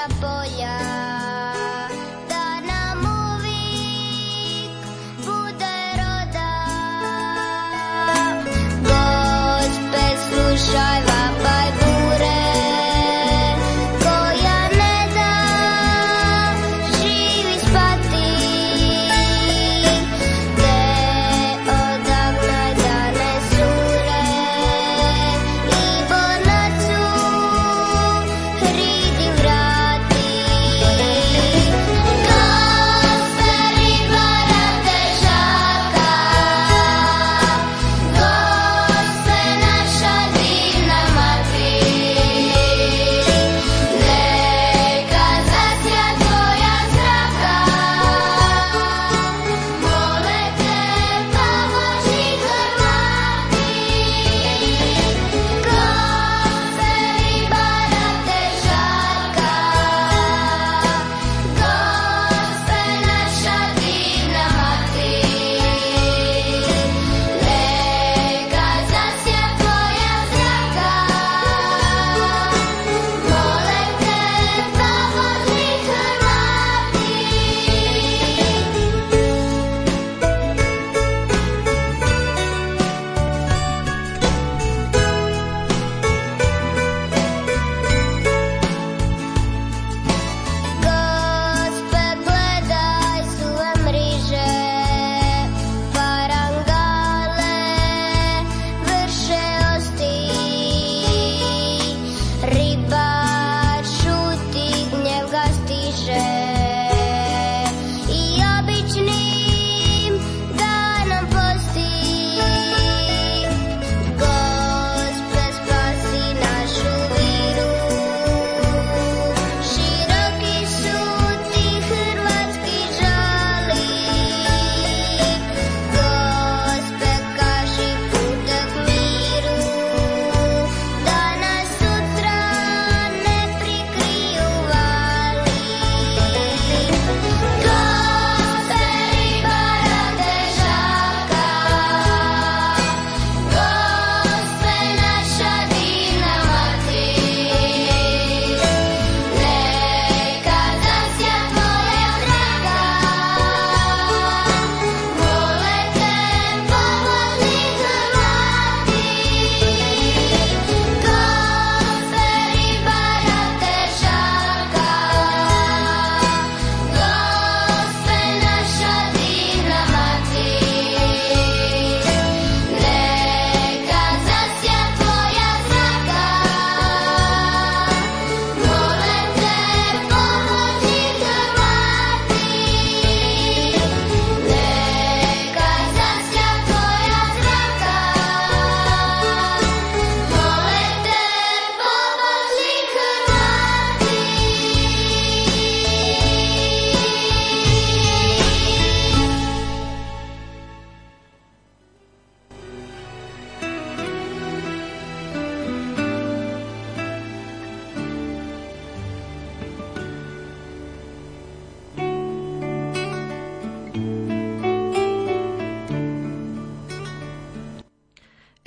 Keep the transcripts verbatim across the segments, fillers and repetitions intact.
naša polja, da nam uvijek bude roda. Gospe, slušaj vapaj bure, koja ne da živi spati, te odagnaj da ne zure i bonacu hridi vrati. Gospe, ribara težaka, Gospe, naša divna mati, neka zasja tvoja zraka, mole te pomoži Hrvati. Gospe, ribara težaka, Gospe, naša divna mati, neka zasja tvoja zraka, mole te pomoži Hrvati. Gospe, gledaj suve mriže, parangale vrše osti, ribar šuti, gnjev ga stiže i običnim danom posti. Gospe, spasi našu viru, široki su ti hrvatski žali. Gospe, kaži putak miru, da nas sutra ne prikriju vali. Gospe, ribara težaka, Gospe, naša divna mati, neka zasja tvoja zraka, mole te pomozi Hrvati. Gospe, ribara težaka, Gospe, naša divna mati, neka zasja tvoja zraka, mole te pomozi Hrvati. Neka zasja tvoja zraka, mole te pomozi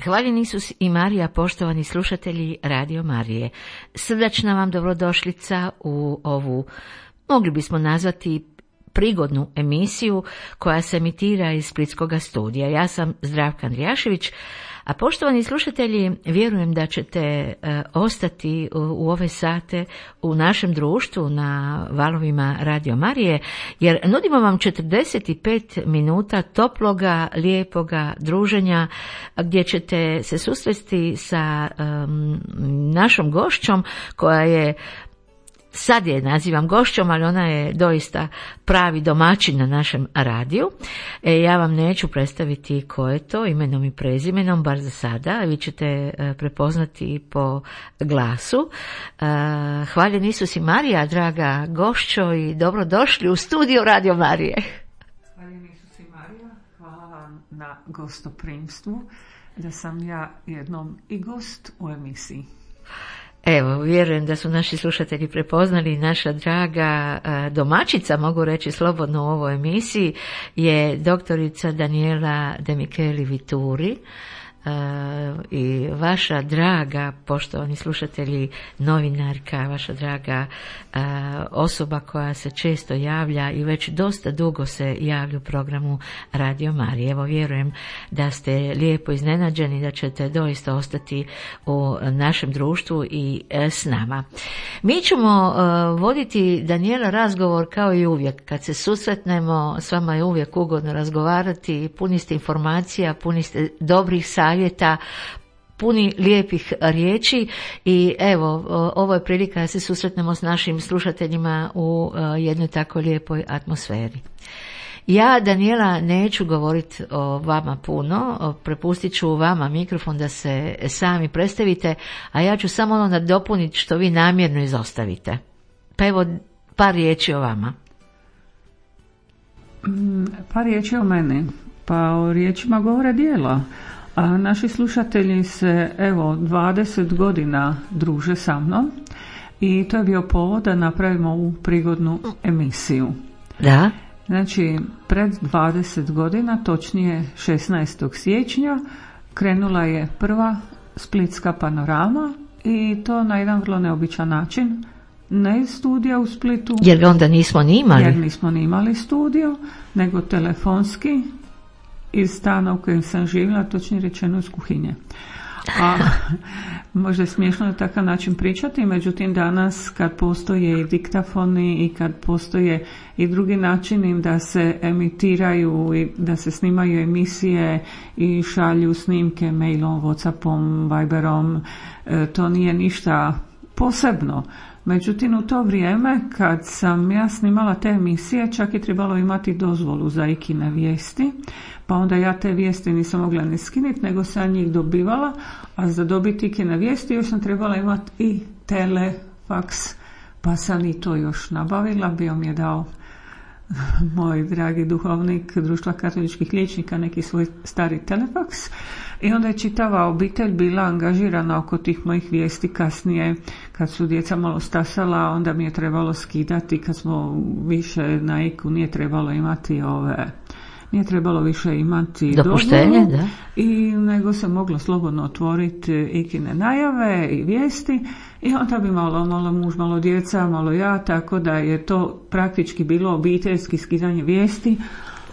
Hvaljen Isus i Marija, poštovani slušatelji Radio Marije. Srdačna vam dobrodošlica u ovu, mogli bismo nazvati, prigodnu emisiju koja se emitira iz Splitskog studija. Ja sam Zdravka Andrijašević, a poštovani slušatelji, vjerujem da ćete e, ostati u, u ove sate u našem društvu na valovima Radio Marije, jer nudimo vam četrdeset pet minuta toploga, lijepoga druženja gdje ćete se susresti sa um, našom gošćom koja je, sad je nazivam gošćom, ali ona je doista pravi domaćin na našem radiju. E, ja vam neću predstaviti ko je to imenom i prezimenom, bar za sada, vi ćete e, prepoznati po glasu. E, hvaljen Isus i Marija, draga gošćo, i dobrodošli u studio Radio Marije. Hvaljen Isus i Marija, hvala vam na gostoprimstvu, da sam ja jednom i gost u emisiji. Evo, vjerujem da su naši slušatelji prepoznali, naša draga domaćica, mogu reći slobodno u ovoj emisiji, je doktorica Daniela De Micheli Vituri, i vaša draga, poštovani slušatelji, novinarka, vaša draga uh, osoba koja se često javlja i već dosta dugo se javlja u programu Radio Marije. Evo, vjerujem da ste lijepo iznenađeni, da ćete doista ostati u našem društvu i uh, s nama. Mi ćemo uh, voditi, Danijela, razgovor kao i uvijek. Kad se susretnemo, s vama je uvijek ugodno razgovarati, puni ste informacija, puni ste dobrih savjeta, puni lijepih riječi i evo, ovo je prilika da se susretnemo s našim slušateljima u jednoj tako lijepoj atmosferi. Ja, Danijela, neću govoriti o vama puno, prepustit ću vama mikrofon da se sami predstavite, a ja ću samo ono nadopuniti što vi namjerno izostavite. Pa evo, par riječi o vama. Par riječi o meni. Pa o riječima govore djela. A naši slušatelji se evo dvadeset godina druže sa mnom i to je bio povod da napravimo ovu prigodnu emisiju. Da? Znači, pred dvadeset godina, točnije šesnaestog siječnja, krenula je prva Splitska panorama i to na jedan vrlo neobičan način. Ne iz studija u Splitu. Jer ga onda nismo ni imali. Jer nismo ni imali studio, nego telefonski iz stana u kojem sam živjela, točnije rečeno iz kuhinje. A možda je smiješno na takav način pričati, međutim danas kad postoje i diktafoni i kad postoje i drugi načini da se emitiraju i da se snimaju emisije i šalju snimke mailom, Whatsappom, Viberom, to nije ništa posebno. Međutim, u to vrijeme kad sam ja snimala te emisije, čak je trebalo imati dozvolu za ikine vijesti, pa onda ja te vijesti nisam mogla ni skiniti, nego sam njih dobivala, a za dobiti ikine vijesti još sam trebala imati i telefaks, pa sam i to još nabavila, bio mi je dao moj dragi duhovnik Društva katoličkih liječnika neki svoj stari telefaks i onda je čitava obitelj bila angažirana oko tih mojih vijesti. Kasnije kad su djeca malo stasala, onda mi je trebalo skidati, kad smo više na iku nije trebalo imati ove nije trebalo više imati dopuštenje, da? I nego se moglo slobodno otvoriti ikine najave i vijesti i onda bi malo, malo muž, malo djeca, malo ja, tako da je to praktički bilo obiteljski skidanje vijesti.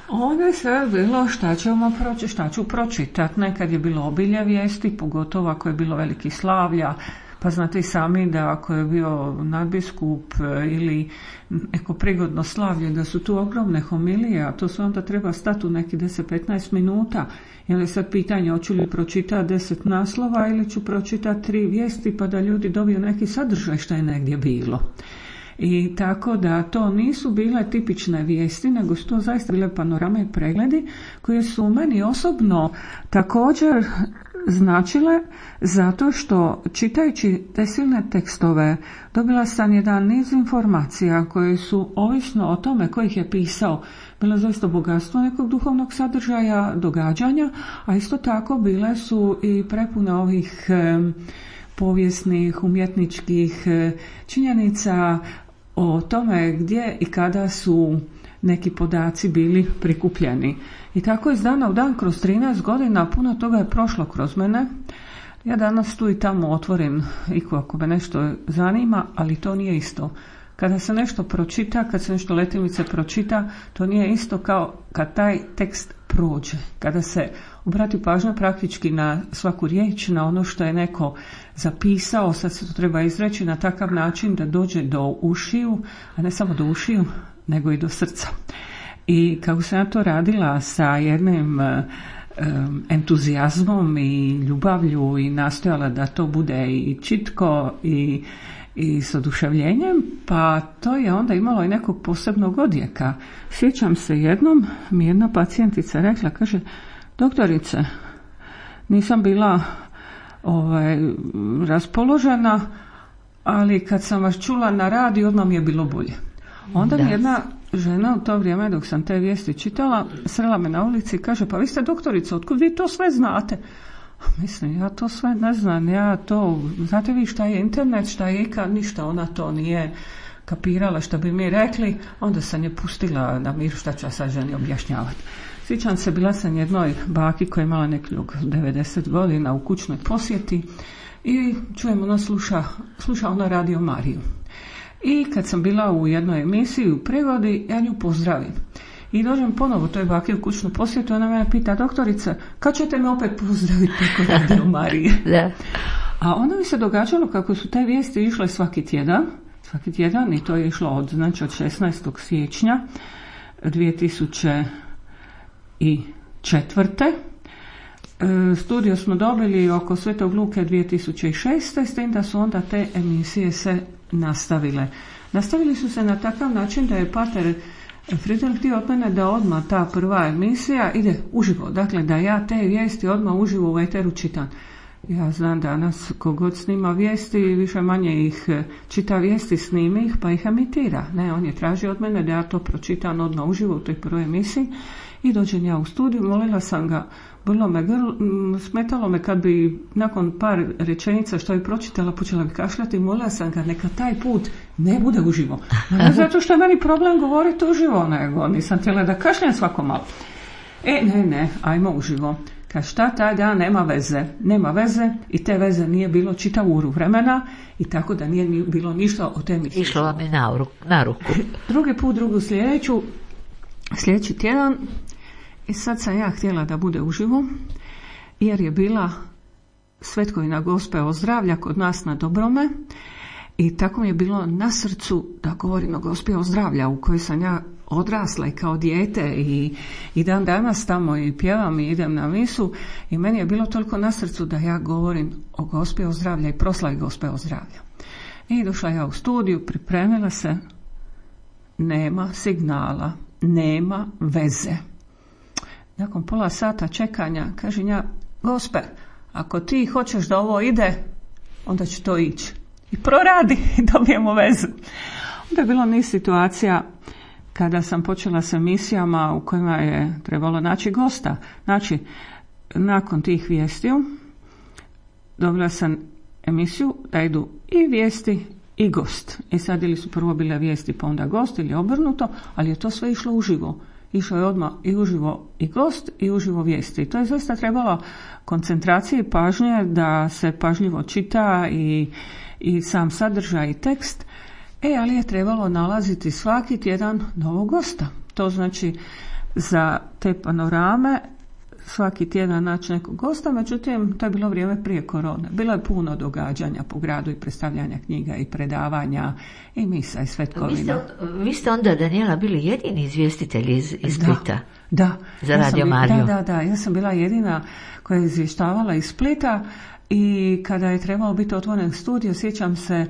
Onda je sve bilo šta ćemo proći, šta ću pročitati. Nekad je bilo obilje vijesti, pogotovo ako je bilo veliki slavlja, pa znate i sami da ako je bio nadbiskup ili neko prigodno slavlje, da su tu ogromne homilije, a to se onda treba stati u neki deset do petnaest minuta. I onda je sad pitanje, hoću li pročitati deset naslova ili ću pročitati tri vijesti pa da ljudi dobiju neki sadržaj što je negdje bilo. I tako da to nisu bile tipične vijesti, nego su to zaista bile panorame i pregledi koje su meni osobno također značile, zato što čitajući te silne tekstove dobila sam jedan niz informacija koje su, ovisno o tome ko ih je pisao, bilo zaista bogatstvo nekog duhovnog sadržaja, događanja, a isto tako bile su i prepune ovih e, povijesnih, umjetničkih e, činjenica o tome gdje i kada su neki podaci bili prikupljeni. I tako iz dana u dan kroz trinaest godina puno toga je prošlo kroz mene. Ja danas tu i tamo otvorim iku ako me nešto zanima, ali to nije isto. Kada se nešto pročita, kad se nešto letimice pročita, to nije isto kao kad taj tekst prođe. Kada se obrati pažnja praktički na svaku riječ, na ono što je neko zapisao, sad se to treba izreći na takav način da dođe do ušiju, a ne samo do ušiju, nego i do srca. I kako sam ja to radila sa jednim um, entuzijazmom i ljubavlju i nastojala da to bude i čitko i, i s oduševljenjem, pa to je onda imalo i nekog posebnog odjeka. Sjećam se jednom, mi jedna pacijentica rekla, kaže, doktorice, nisam bila ovaj, raspoložena, ali kad sam vas čula na radiju, odmah mi je bilo bolje. Onda mi jedna žena u to vrijeme dok sam te vijesti čitala srela me na ulici i kaže, pa vi ste doktorica, otkud vi to sve znate? Mislim, ja to sve ne znam, ja to, znate vi šta je internet, šta je ikad, ništa, ona to nije kapirala što bi mi rekli, onda sam je pustila na miru šta ću ja sad ženi objašnjavati. Sjećam se, bila sam jednoj baki koja je imala nekog devedeset godina u kućnoj posjeti i čujem, ona sluša, sluša ona Radio Mariju. I kad sam bila u jednoj emisiji u prigodi, ja nju pozdravim. I dođem ponovo toj baki u kućnu posjetu, ona mene pita, doktorica, kad ćete me opet pozdraviti preko Radio Marije? Da. A onda mi se događalo kako su te vijesti išle svaki tjedan, svaki tjedan i to je išlo od, znači od šesnaestog siječnja dvije tisuće četvrte. E, studio smo dobili oko Svetog Luke dvije tisuće šeste. S tim da su onda te emisije se nastavile. Nastavili su se na takav način da je pater Friedel htio od mene da odmah ta prva emisija ide uživo. Dakle, da ja te vijesti odmah uživo u eteru čitam. Ja znam danas kogod snima vijesti, više manje ih čita vijesti, snimi ih pa ih emitira. Ne, on je tražio od mene da ja to pročitam odmah uživo u toj prvoj emisiji i dođem ja u studiju, molila sam ga, bilo me grl, smetalo me kad bi nakon par rečenica što je pročitala počela bi kašljati, molila sam ga neka taj put ne bude uživo. Ne zato što je meni problem govoriti uživo, nego nisam htjela da kašljam svako malo. E, ne, ne, ajmo uživo. Kad šta taj dan nema veze, nema veze i te veze nije bilo čitavu uru vremena i tako da nije bilo ništa o temi. Išlo vam je na, na ruku. Drugi put, drugu sljedeću, sljedeći tjedan i sad sam ja htjela da bude uživo jer je bila Svetkovina Gospe Ozdravlja kod nas na Dobrome i tako mi je bilo na srcu da govorim o Gospi Ozdravlja u kojoj sam ja odrasla i kao dijete i, i dan danas tamo i pjevam i idem na misu i meni je bilo toliko na srcu da ja govorim o Gospi Ozdravlja i proslavi Gospe Ozdravlja. I došla ja u studiju, pripremila se, nema signala, nema veze. Nakon pola sata čekanja kažem ja, Gospe, ako ti hoćeš da ovo ide, onda će to ići. I proradi i dobijemo vezu. Onda je bilo niz situacija kada sam počela sa emisijama u kojima je trebalo naći gosta. Znači, nakon tih vijestiju dobila sam emisiju da idu i vijesti i gost. I sad ili su prvo bile vijesti pa onda gost ili obrnuto, ali je to sve išlo uživo. Išlo je odmah i uživo i gost i uživo vijesti. I to je zaista trebalo koncentracije i pažnje da se pažljivo čita i, i sam sadržaj i tekst. E, ali je trebalo nalaziti svaki tjedan novog gosta. To znači za te panorame svaki tjedan naći nekog gosta, međutim to je bilo vrijeme prije korone. Bilo je puno događanja po gradu i predstavljanja knjiga i predavanja i misa i svetkovina. Vi ste, vi ste onda, Danijela, bili jedini izvjestitelji iz, iz Splita? Da, da. Za ja Radio Mariju? Da, da, da. Ja sam bila jedina koja je izvještavala iz Splita i kada je trebalo biti otvoren studio, sjećam se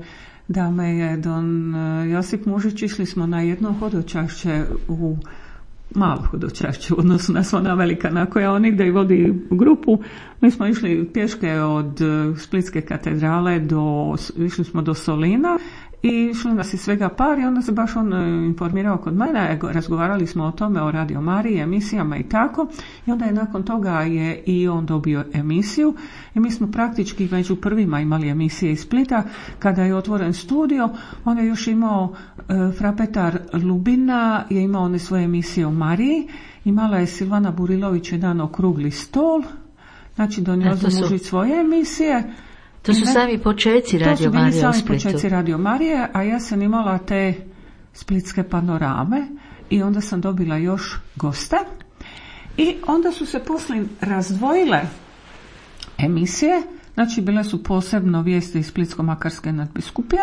da me je don Josip Mužić, išli smo na jedno hodočašće u malo hodočašće u odnosu na sva ona velika na koja on nigdje i vodi grupu. Mi smo išli pješke od Splitske katedrale do, išli smo do Solina i išli nas i svega par i onda se baš on informirao kod mene, razgovarali smo o tome, o Radio Mariji, emisijama i tako i onda je nakon toga je i on dobio emisiju i mi smo praktički među prvima imali emisije iz Splita. Kada je otvoren studio, on je još imao e, Frapetar Lubina, je imao one svoje emisije o Mariji, imala je Silvana Burilović jedan okrugli stol, znači donio za Mužić svoje emisije. To su sami počeci Radio Marije u Splitu. To su bili sami počeci Radio Marije, a ja sam imala te splitske panorame i onda sam dobila još goste. I onda su se poslije razdvojile emisije, znači bile su posebno vijesti iz Splitsko-makarske nadbiskupije,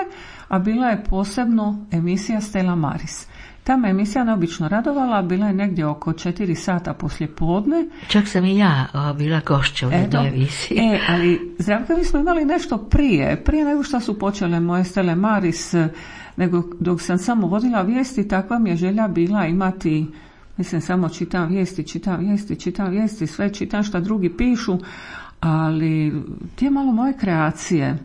a bila je posebno emisija Stella Maris. Ta me emisija neobično radovala, bila je negdje oko četiri sata poslije podne. Čak sam i ja o, bila gošća u jednoj emisiji. E, ali Zdravka, mi smo imali nešto prije, prije nego što su počele moje Stelle Maris, nego dok sam samo vodila vijesti, takva mi je želja bila imati, mislim samo čitam vijesti, čitam vijesti, čitam vijesti, sve čitam što drugi pišu, ali ti je malo moje kreacije.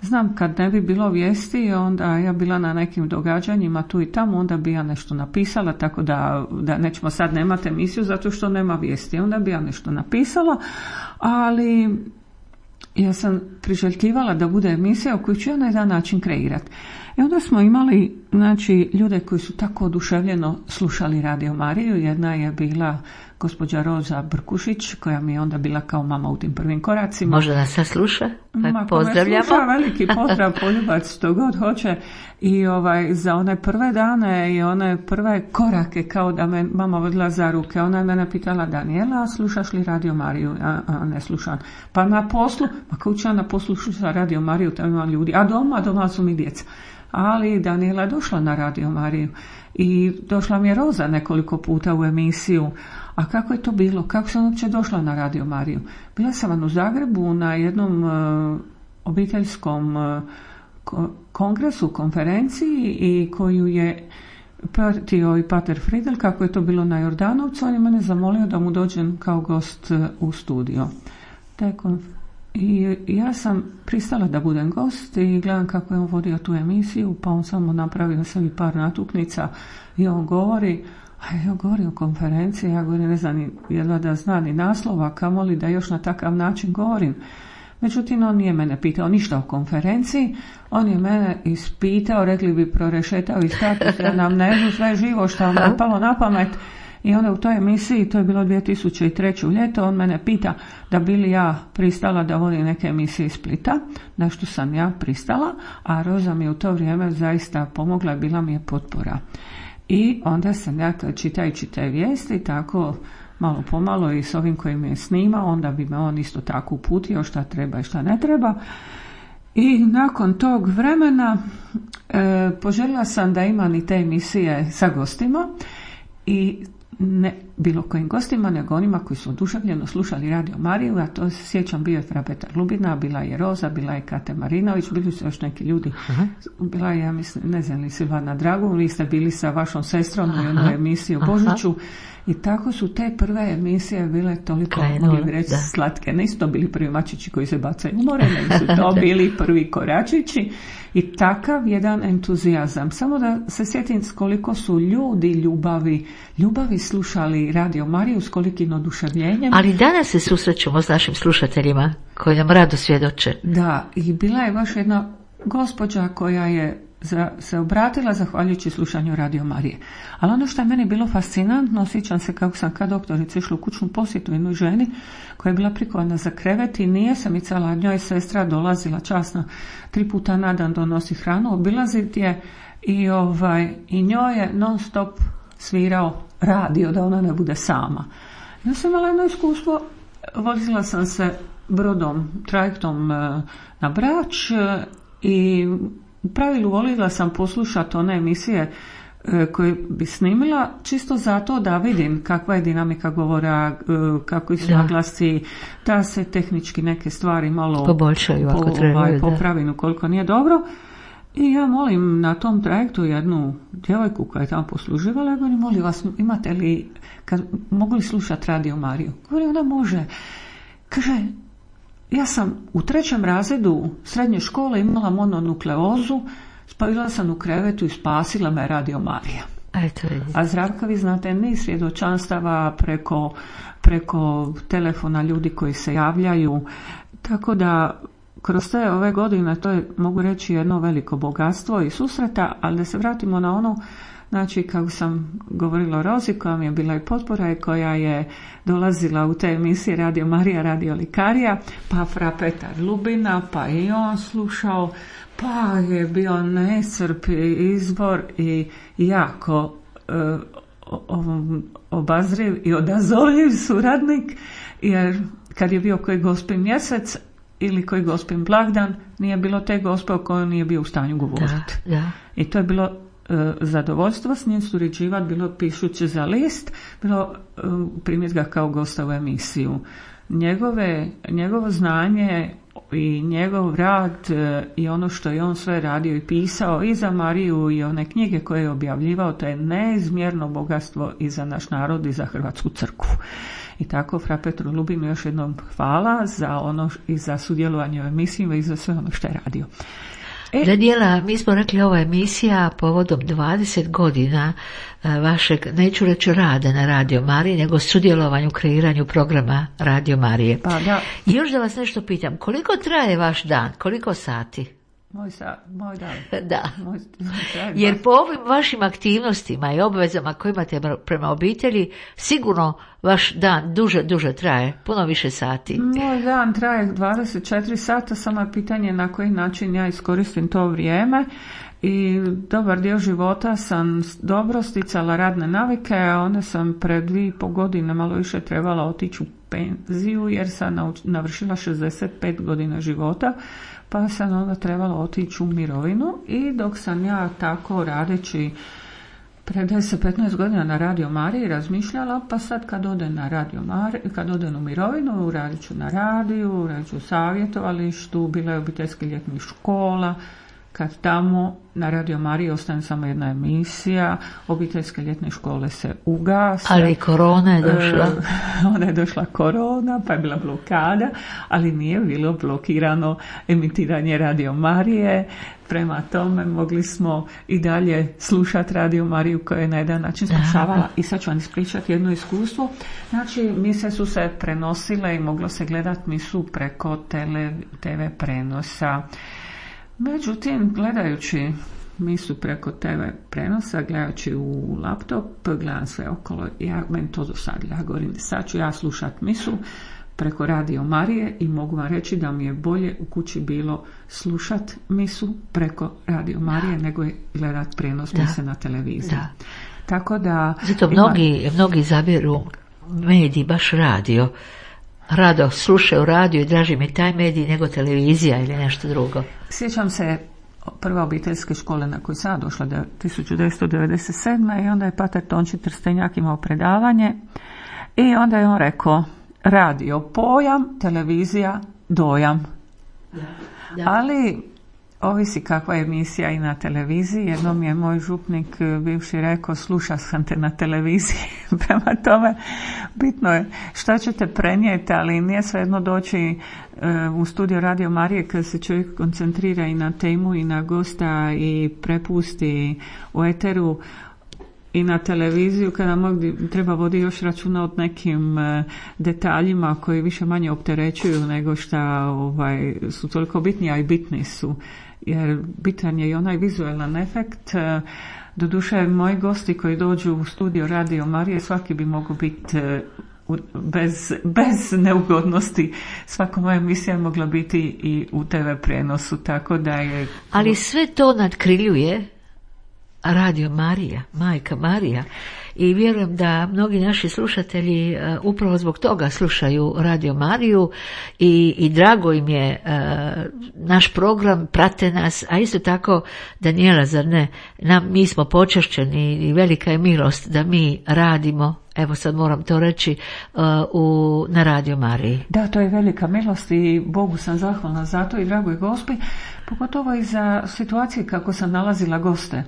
Znam, kad ne bi bilo vijesti, onda ja bila na nekim događanjima tu i tamo, onda bi ja nešto napisala, tako da, da nećemo sad nemate emisiju zato što nema vijesti, onda bi ja nešto napisala, ali ja sam priželjkivala da bude emisija u koju ću ja na jedan način kreirati. I onda smo imali, znači, ljude koji su tako oduševljeno slušali Radio Mariju. Jedna je bila gospođa Roza Brkušić, koja mi je onda bila kao mama u tim prvim koracima. Možda nas sad sluša, pa Ma, pozdravljamo. Sluša, veliki pozdrav, poljubac, što god hoće. I ovaj, za one prve dane i one prve korake, kao da me mama vodila za ruke, ona je mene pitala: Daniela, slušaš li Radio Mariju? A, a ne slušam. Pa na poslu, pa kao ću ja na poslu slušam Radio Mariju, tamo ima ljudi. A doma, doma su mi djeca. Ali Daniela je došla na Radio Mariju i došla mi je Roza nekoliko puta u emisiju. A kako je to bilo? Kako sam uopće došla na Radio Mariju? Bila sam vam u Zagrebu na jednom uh, obiteljskom uh, ko- kongresu, konferenciji, i koju je pratio i pater Friedel, kako je to bilo na Jordanovcu. On je mene zamolio da mu dođem kao gost uh, u studio. Tako, i ja sam pristala da budem gost i gledam kako je on vodio tu emisiju, pa on samo napravio sebi par natuknica i on govori, a ja govorim o konferenciji, ja govorim, ne znam, jedva da zna ni naslova, kamoli da još na takav način govorim. Međutim, on nije mene pitao ništa o konferenciji, on je mene ispitao, rekli bi prorešetao i status, da nam ne sve živo što vam je palo na pamet. I onda u toj emisiji, to je bilo dvije tisuće treće ljeto, on mene pita da bi li ja pristala da vodim neke emisije iz Splita, na što sam ja pristala, a Roza mi je u to vrijeme zaista pomogla i bila mi je potpora. I onda sam ja, čitajući te vijesti, tako malo pomalo i s ovim koji me je snimao, onda bi me on isto tako uputio šta treba i šta ne treba. I nakon tog vremena e, poželjela sam da imam i te emisije sa gostima, i ne bilo kojim gostima, nego onima koji su oduševljeno slušali Radio Mariju. Ja to se sjećam, bio je Fra Petar Lubina, bila je Roza, bila je Kate Marinović, bili su još neki ljudi. Aha. Bila je, ja mislim, ne znam li Silvana Dragun, vi ste bili sa vašom sestrom u jednoj emisiji o Božiću. I tako su te prve emisije bile toliko, mogli bi reći, slatke. Nisu to bili prvi mačići koji se bacaju u more, nego su to bili prvi koračići. I takav jedan entuzijazam. Samo da se sjetim s koliko su ljudi ljubavi, ljubavi slušali Radio Mariju, s kolikim oduševljenjem. Ali danas se susrećemo s našim slušateljima koji nam rado svjedoče. Da, i bila je baš jedna gospođa koja je za, se obratila zahvaljujući slušanju Radio Marije. Ali ono što je meni bilo fascinantno, sjećam se kako sam kad doktorica išla u kućnu posjetu jednoj ženi koja je bila prikovana za krevet i nije se micala, njoj sestra dolazila časno tri puta na dan donosi hranu, obilaziti je i, ovaj, i njoj je non stop svirao radio da ona ne bude sama. Ja sam imala jedno iskustvo, vozila sam se brodom, trajektom na Brač i u pravilu volila sam poslušati one emisije e, koje bi snimila, čisto zato da vidim kakva je dinamika govora, e, kako su naglasci, da se tehnički neke stvari malo poboljšaju ako po, trebaju, ovaj, popravim ukoliko nije dobro. I ja molim na tom trajektu jednu djevojku koja je tamo posluživala, ja govorim, molim vas, imate li, kad, mogu li slušati Radio Mariju? Govorim, ona može. Kaže, ja sam u trećem razredu srednje škole imala mononukleozu, spavila sam u krevetu i spasila me Radio Marija. Eto, a Zdravka, vi znate, niz svjedočanstava preko, preko telefona ljudi koji se javljaju, tako da kroz te ove godine to je, mogu reći, jedno veliko bogatstvo i susreta, ali da se vratimo na ono, znači kako sam govorila o Rozi koja mi je bila i potpora i koja je dolazila u te emisije Radio Marija, Radio Likarija, pa Fra Petar Lubina, pa i on slušao, pa je bio nesrpi izbor i jako e, obazriv i odazovljiv suradnik, jer kad je bio koji Gospin mjesec ili koji Gospin blagdan, nije bilo te gospe o kojoj nije bio u stanju govoriti. Da, da. I to je bilo zadovoljstvo s njim surađivati, bilo pišući za list, bilo primiti ga kao gosta u emisiju. Njegove, njegovo znanje i njegov rad i ono što je on sve radio i pisao i za Mariju i one knjige koje je objavljivao, to je neizmjerno bogatstvo i za naš narod i za Hrvatsku crkvu. I tako Fra Petru Lubinu još jednom hvala za ono i za sudjelovanje u emisijima i za sve ono što je radio. E, Daniela, mi smo rekli ova emisija povodom dvadeset godina vašeg, neću reći rada na Radio Mariji, nego sudjelovanju u kreiranju programa Radio Marije. Pa da. I još da vas nešto pitam, koliko traje vaš dan, koliko sati? Moj, sa, moj dan. Da. Moj, moj Jer po ovim vašim aktivnostima i obvezama koje imate prema obitelji, sigurno vaš dan duže, duže traje, puno više sati. Moj dan traje dvadeset četiri sata, samo je pitanje na koji način ja iskoristim to vrijeme. I dobar dio života sam dobro sticala radne navike, a onda sam pred dvije i pol godine malo više trebala otići u penziju jer sam navršila šezdeset pet godina života, pa sam onda trebala otići u mirovinu. I dok sam ja tako radeći pred deset petnaest godina na Radio Mariji razmišljala, pa sad kad odem na Radio Mariji, kad odem u mirovinu, radit ću na radiju, radit ću u savjetovalištu, bila je obiteljski ljetnih škola. Kad tamo na Radio Mariji ostane samo jedna emisija, obiteljske ljetne škole se ugase. Ali korona je došla. E, onda je došla korona, pa je bila blokada, ali nije bilo blokirano emitiranje Radio Marije. Prema tome mogli smo i dalje slušati Radio Mariju koja je na jedan način spašavala. I sad ću vam ispričati jedno iskustvo. Znači, mise su se prenosile i moglo se gledati misu preko tele, te ve prenosa. Međutim, gledajući misu preko te ve prenosa, gledajući u laptop, gledam sve okolo, ja, meni to dosadilo. Ja govorim, sad ću ja slušat misu preko Radio Marije i mogu vam reći da mi je bolje u kući bilo slušat misu preko Radio Marije da. nego je gledat prenos da. mise na televiziji. Da. Tako da... Zato mnogi, ima... mnogi zabiru mediji, baš radio. Rado slušaju radio i draži mi taj medij nego televizija ili nešto drugo. Sjećam se prve obiteljske škole na koju sam došla tisuću devetsto devedeset sedme i onda je pater Tonči Trstenjak imao predavanje i onda je on rekao radio pojam, televizija dojam. Da, da. Ali ovisi kakva je emisija i na televiziji. Jednom je moj župnik bivši rekao sluša sam te na televiziji. Prema tome bitno je šta ćete prenijeti, ali nije svejedno doći uh, u studio Radio Marije kad se čovjek koncentrira i na temu i na gosta i prepusti u eteru i na televiziju kada mogli, treba vodi još računa od nekim uh, detaljima koji više manje opterećuju nego šta ovaj, su toliko bitni, a i bitni su. Jer bitan je i onaj vizualan efekt. Doduše, moji gosti koji dođu u studio Radio Marije, svaki bi mogao biti bez, bez neugodnosti. Svaka moja emisija je mogla biti i u te ve prenosu, tako da je... Ali sve to nadkriljuje Radio Marija, Majka Marija. I vjerujem da mnogi naši slušatelji uh, upravo zbog toga slušaju Radio Mariju i, i drago im je uh, naš program, prate nas, a isto tako, Daniela, zar ne, nam, mi smo počašćeni i velika je milost da mi radimo, evo sad moram to reći, uh, u, na Radio Mariji. Da, to je velika milost i Bogu sam zahvalna za to i dragoj Gospi, pogotovo i za situacije kako sam nalazila goste.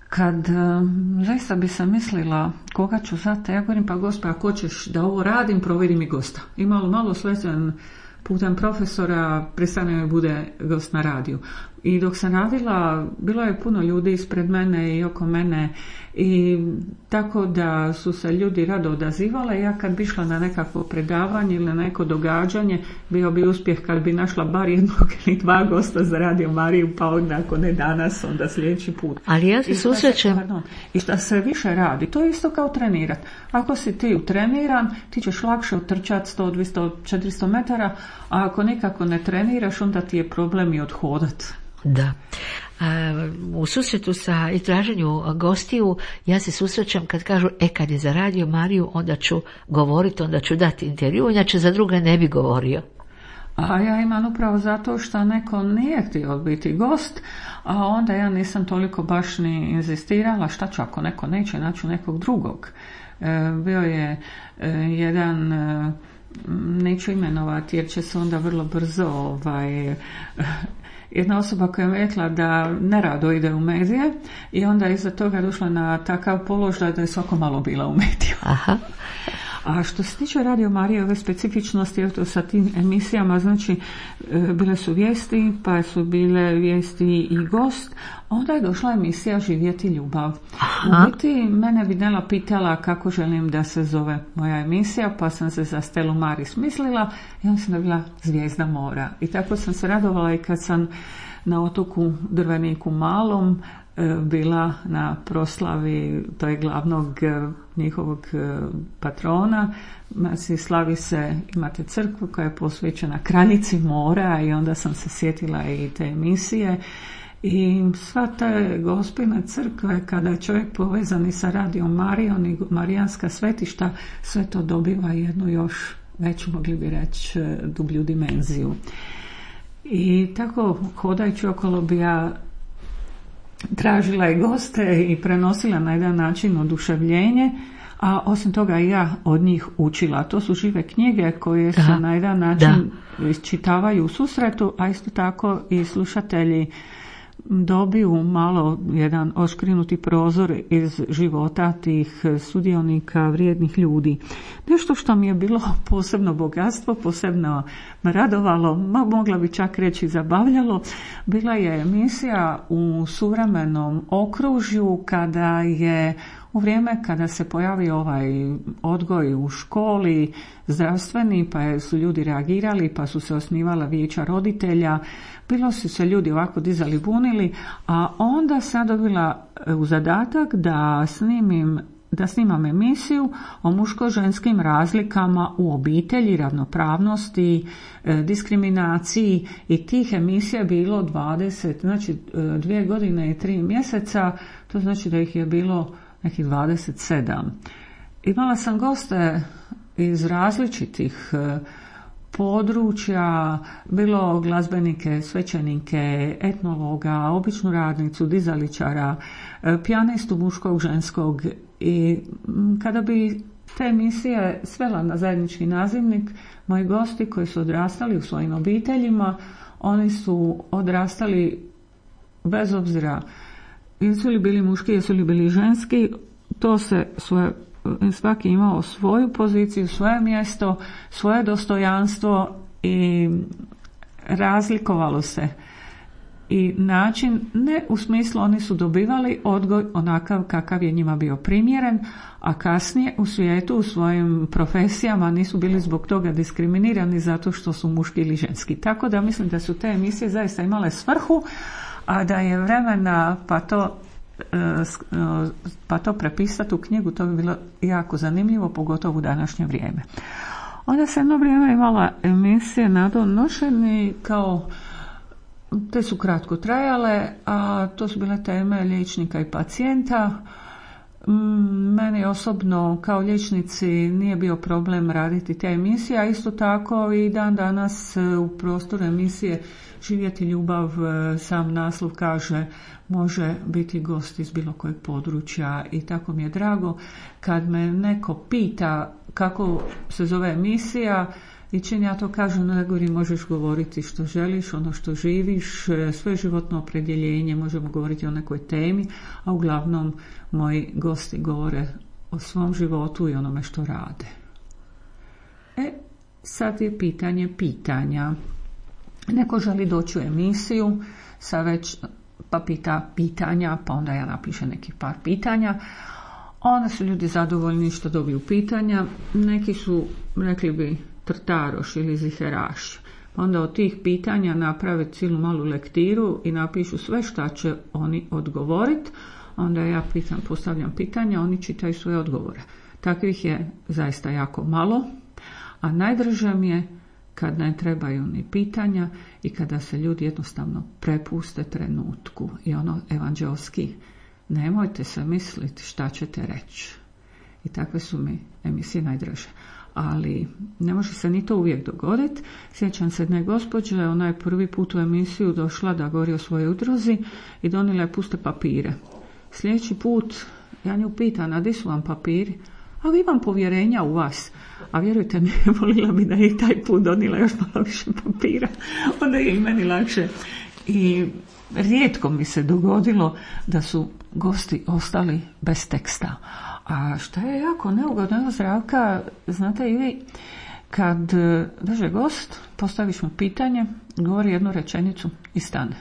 Kad um, zaista bi sam mislila koga ću zate, ja govorim pa Gospe, ako hoćeš da ovo radim, provedi mi gosta. I malo, malo slezen putem profesora prestane mi bude gost na radiju. I dok sam radila, bilo je puno ljudi ispred mene i oko mene i tako da su se ljudi rado odazivale. Ja kad bi išla na nekakvo predavanje ili na neko događanje, bio bi uspjeh kad bi našla bar jednog ili dva gosta za Radio Mariju, pa onda ako ne danas, onda sljedeći put. Ali ja se susrećem. I šta se više radi, to je isto kao trenirati. Ako si ti utreniran, ti ćeš lakše utrčati sto, dvjesto, četiristo metara, a ako nikako ne treniraš, onda ti je problem i odhodat. Da. U susretu sa izraženju gostiju ja se susrećem kad kažu e kad je za Radio Mariju onda ću govoriti, onda ću dati intervju, inače za druga ne bi govorio. A ja imam upravo zato što neko nije htio biti gost, a onda ja nisam toliko baš ni inzistirala šta ću ako neko neće, naću nekog drugog. E, bio je e, jedan, e, neću imenovati jer će se onda vrlo brzo ovaj... jedna osoba koja je rekla da nerado ide u medije i onda je iza toga došla na takav položaj da je svako malo bila u mediju. Aha. A što se tiče Radio Marije, ove specifičnosti, eto sa tim emisijama, znači bile su vijesti, pa su bile vijesti i gost, onda je došla emisija Živjeti ljubav. Aha. U biti mene bi Nela pitala kako želim da se zove moja emisija, pa sam se za Stelu Maris mislila i onda sam dobila Zvijezda mora. I tako sam se radovala i kad sam na otoku Drveniku Malom bila na proslavi toj glavnog njihovog patrona. Znači, slavi se, imate crkvu koja je posvećena kraljici mora i onda sam se sjetila i te emisije. I sva te gospine crkve, kada je čovjek povezan i sa Radijom Marijom i Marijanska svetišta, sve to dobiva jednu još veću, mogli bi reći, dublju dimenziju. I tako, hodajući okolo bi ja tražila i goste i prenosila na jedan način oduševljenje, a osim toga i ja od njih učila. To su žive knjige koje se da, na jedan način da. isčitavaju u susretu, a isto tako i slušatelji dobiju malo jedan oškrinuti prozor iz života tih sudionika, vrijednih ljudi. Nešto što mi je bilo posebno bogatstvo, posebno me radovalo, mogla bi čak reći zabavljalo, bila je emisija u suvremenom okružju kada je u vrijeme kada se pojavio ovaj odgoj u školi, zdravstveni, pa su ljudi reagirali, pa su se osnivala vijeća roditelja, bilo su se ljudi ovako dizali, bunili, a onda sam dobila u zadatak da snimim da snimam emisiju o muško-ženskim razlikama u obitelji, ravnopravnosti, diskriminaciji, i tih emisija je bilo dvadeset, znači dvije godine i tri mjeseca, to znači da ih je bilo nekih dvadeset sedam. Imala sam goste iz različitih područja, bilo glazbenike, svećenike, etnologa, običnu radnicu, dizaličara, pijanistu muškog, ženskog. I kada bi te emisije svela na zajednički nazivnik, moji gosti koji su odrastali u svojim obiteljima, oni su odrastali bez obzira jesu li bili muški, jesu li bili ženski, to se svoje, svaki imao svoju poziciju, svoje mjesto, svoje dostojanstvo i razlikovalo se. I način, ne u smislu oni su dobivali odgoj onakav kakav je njima bio primjeren, a kasnije u svijetu, u svojim profesijama nisu bili zbog toga diskriminirani zato što su muški ili ženski. Tako da mislim da su te emisije zaista imale svrhu, a da je vremena pa to, pa to prepisati u knjigu, to bi bilo jako zanimljivo, pogotovo u današnje vrijeme. Onda sam jedno vrijeme imala emisije na donošeni kao, te su kratko trajale, a to su bile teme liječnika i pacijenta. Meni osobno kao liječnici nije bio problem raditi te emisije, a isto tako i dan danas u prostoru emisije Živjeti ljubav, sam naslov kaže, može biti gost iz bilo kojeg područja, i tako mi je drago kad me neko pita kako se zove emisija, i čim ja to kažem, ne govorim možeš govoriti što želiš, ono što živiš, svoje životno opredjeljenje, možemo govoriti o nekoj temi, a uglavnom moji gosti govore o svom životu i onome što rade. E, sad je pitanje pitanja. Neko želi doći u emisiju, sa već pa pita pitanja, pa onda ja napišem nekih par pitanja. Onda su ljudi zadovoljni što dobiju pitanja, neki su, rekli bi, trtaroš ili ziheraš. Onda od tih pitanja naprave cijelu malu lektiru i napišu sve šta će oni odgovoriti. Onda ja pitam, postavljam pitanja, oni čitaju svoje odgovore. Takvih je zaista jako malo, a najdraže mi je kad ne trebaju ni pitanja i kada se ljudi jednostavno prepuste trenutku. I ono evanđelski, nemojte se misliti šta ćete reći. I takve su mi emisije najdraže. Ali ne može se ni to uvijek dogoditi. Sjećam se jedne gospođe, ona je prvi put u emisiju došla da govori o svojoj udruzi i donijela je puste papire. Sljedeći put ja nju pitam, a di su vam papiri? A vi imam povjerenja u vas. A vjerujte mi, volila bi da je i taj put donijela još malo više papira. Onda je i meni lakše. I rijetko mi se dogodilo da su gosti ostali bez teksta. A šta je jako neugodno, evo Zdravka, znate i vi, kad dođe gost, postaviš mu pitanje, govori jednu rečenicu i stane.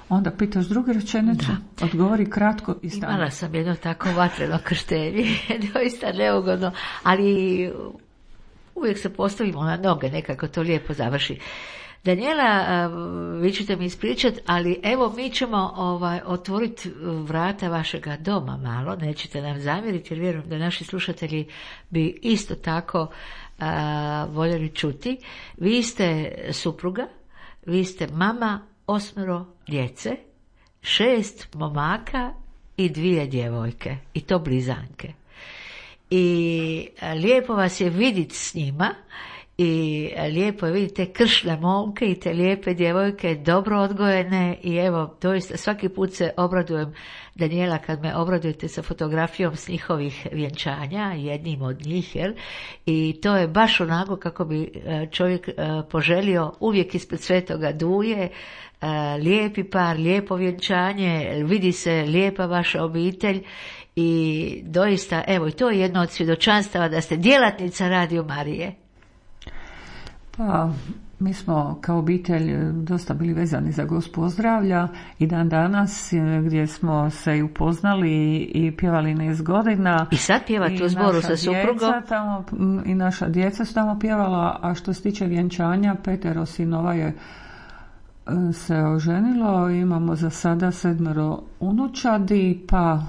Onda pitaš drugu rečenicu, da. Odgovori kratko i stane. Imala sam jedno tako vatreno krštenje, doista neugodno, ali uvijek se postavimo na noge, nekako to lijepo završi. Daniela, vi ćete mi ispričati, ali evo mi ćemo ovaj, otvoriti vrata vašega doma malo, nećete nam zamjeriti jer vjerujem da naši slušatelji bi isto tako a, voljeli čuti. Vi ste supruga, vi ste mama osmero djece, šest momaka i dvije djevojke, i to blizanke. I lijepo vas je vidjeti s njima, i lijepo je vidjeti te kršne momke i te lijepe djevojke, dobro odgojene, i evo, doista svaki put se obradujem, Daniela, kad me obradujete sa fotografijom s njihovih vjenčanja, jednim od njih, jel? I to je baš onako kako bi čovjek poželio uvijek ispred Svetoga Duje, lijepi par, lijepo vjenčanje, vidi se lijepa vaša obitelj. I doista, evo, i to je jedno od svjedočanstava da ste djelatnica Radio Marije. Pa, mi smo kao obitelj dosta bili vezani za Gospu zdravlja i dan danas gdje smo se i upoznali i pjevali niz godina. I sad pjevate u zboru sa suprugom? Tamo, i naša djeca su tamo pjevala, a što se tiče vjenčanja, petero sinova je se oženilo, imamo za sada sedmero unučadi, pa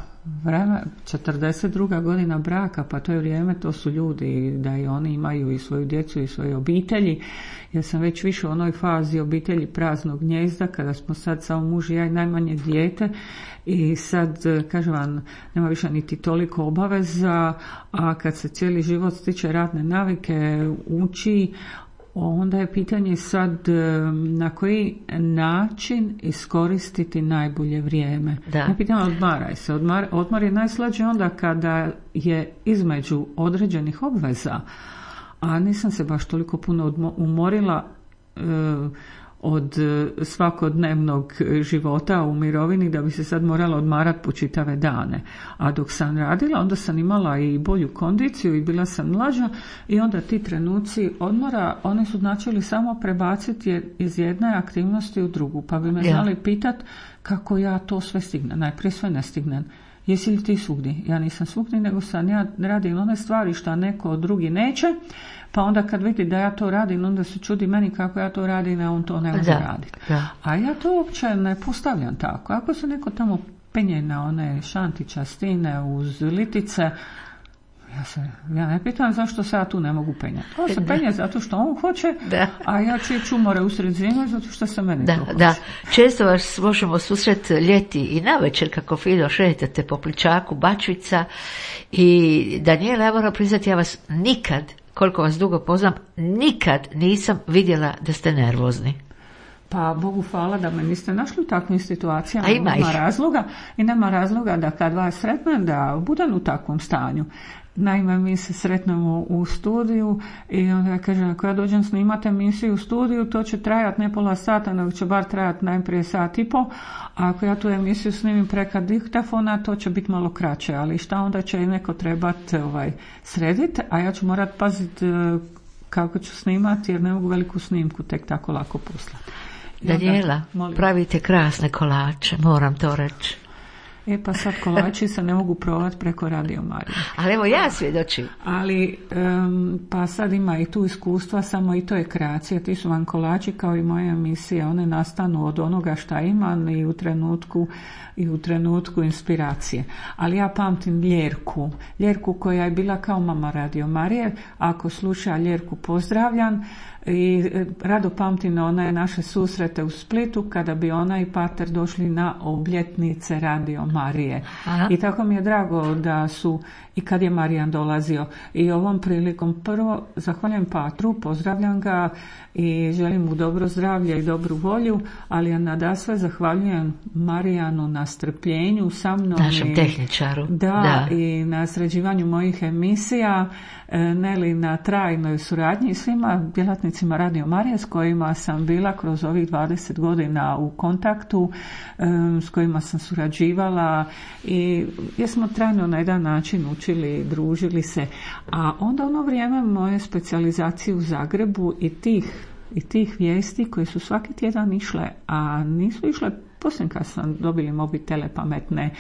vreme, četrdeset druga godina braka, pa to je vrijeme, to su ljudi da i oni imaju i svoju djecu i svoje obitelji. Ja sam već više u onoj fazi obitelji praznog gnjezda, kada smo sad samo muž i ja i najmanje dijete, i sad, kažem vam, nema više niti toliko obaveza, a kad se cijeli život stiče radne navike, uči, onda je pitanje sad na koji način iskoristiti najbolje vrijeme. Da. Ja pitam, odmaraj se. Odmar, odmor je najslađe onda kada je između određenih obveza, a nisam se baš toliko puno odmo, umorila e, od svakodnevnog života u mirovini da bi se sad morala odmarati po čitave dane. A dok sam radila, onda sam imala i bolju kondiciju i bila sam mlađa, i onda ti trenuci odmora, oni su značili samo prebaciti iz jedne aktivnosti u drugu, pa bi me ja. znali pitat kako ja to sve stignem. Najprije sve ne stignem. Jesi li ti svugdje? Ja nisam svugdje, nego sam ja radim one stvari što neko drugi neće, pa onda kad vidi da ja to radim, onda se čudi meni kako ja to radim, a on to ne može raditi. A ja to uopće ne postavljam tako. Ako se neko tamo penje na one šantića stine uz litice, ja se ja ne pitam zašto se ja tu ne mogu penjati. On se penje zato što on hoće, da. A ja ću ići umore usred zime zato što se meni da, to hoće. Da. Često vas možemo susret ljeti i navečer kako fino šetate po Pličaku, Bačvica, i Daniela, ja moram priznati, ja vas nikad, koliko vas dugo poznam, nikad nisam vidjela da ste nervozni. Pa Bogu hvala da me niste našli u takvim situacijama. A ima nema razloga, i nema razloga da kad vas sretnem da budem u takvom stanju. Naime, mi se sretnemo u studiju i onda ja kažem, ako ja dođem snimati emisiju u studiju, to će trajati ne pola sata, nego će bar trajati najprije sat i po, a ako ja tu emisiju snimim preko diktafona, to će biti malo kraće, ali šta onda će neko trebati ovaj, srediti, a ja ću morat paziti kako ću snimati, jer ne mogu veliku snimku tek tako lako poslati. Daniela, pravite krasne kolače, moram to reći. E pa sad kolači se ne mogu provati preko Radio Marije. Ali evo ja svjedočim. Ali um, pa sad ima i tu iskustva, samo i to je kreacija. Ti su vam kolači kao i moja emisija, one nastanu od onoga šta imam i u trenutku i u trenutku inspiracije. Ali ja pamtim Ljerku, Ljerku koja je bila kao mama Radio Marije. Ako sluša, Ljerku pozdravljam. I rado pamtim one naše susrete u Splitu kada bi ona i pater došli na obljetnice Radio Marije. Aha. I tako mi je drago da su i kad je Marijan dolazio. I ovom prilikom prvo zahvaljujem patru, pozdravljam ga i želim mu dobro zdravlje i dobru volju, ali ja nadasve zahvaljujem Marijanu na strpljenju sa mnom. Našem i, tehničaru. Da, da, i na sređivanju mojih emisija Neli na trajnoj suradnji i svima djelatnicima Radio Marije s kojima sam bila kroz ovih dvadeset godina u kontaktu, s kojima sam surađivala i jesmo trajno na jedan način učili, družili se. A onda ono vrijeme moje specijalizacije u Zagrebu i tih i tih vijesti koje su svaki tjedan išle, a nisu išle poslije kad sam dobili mobitele pametne,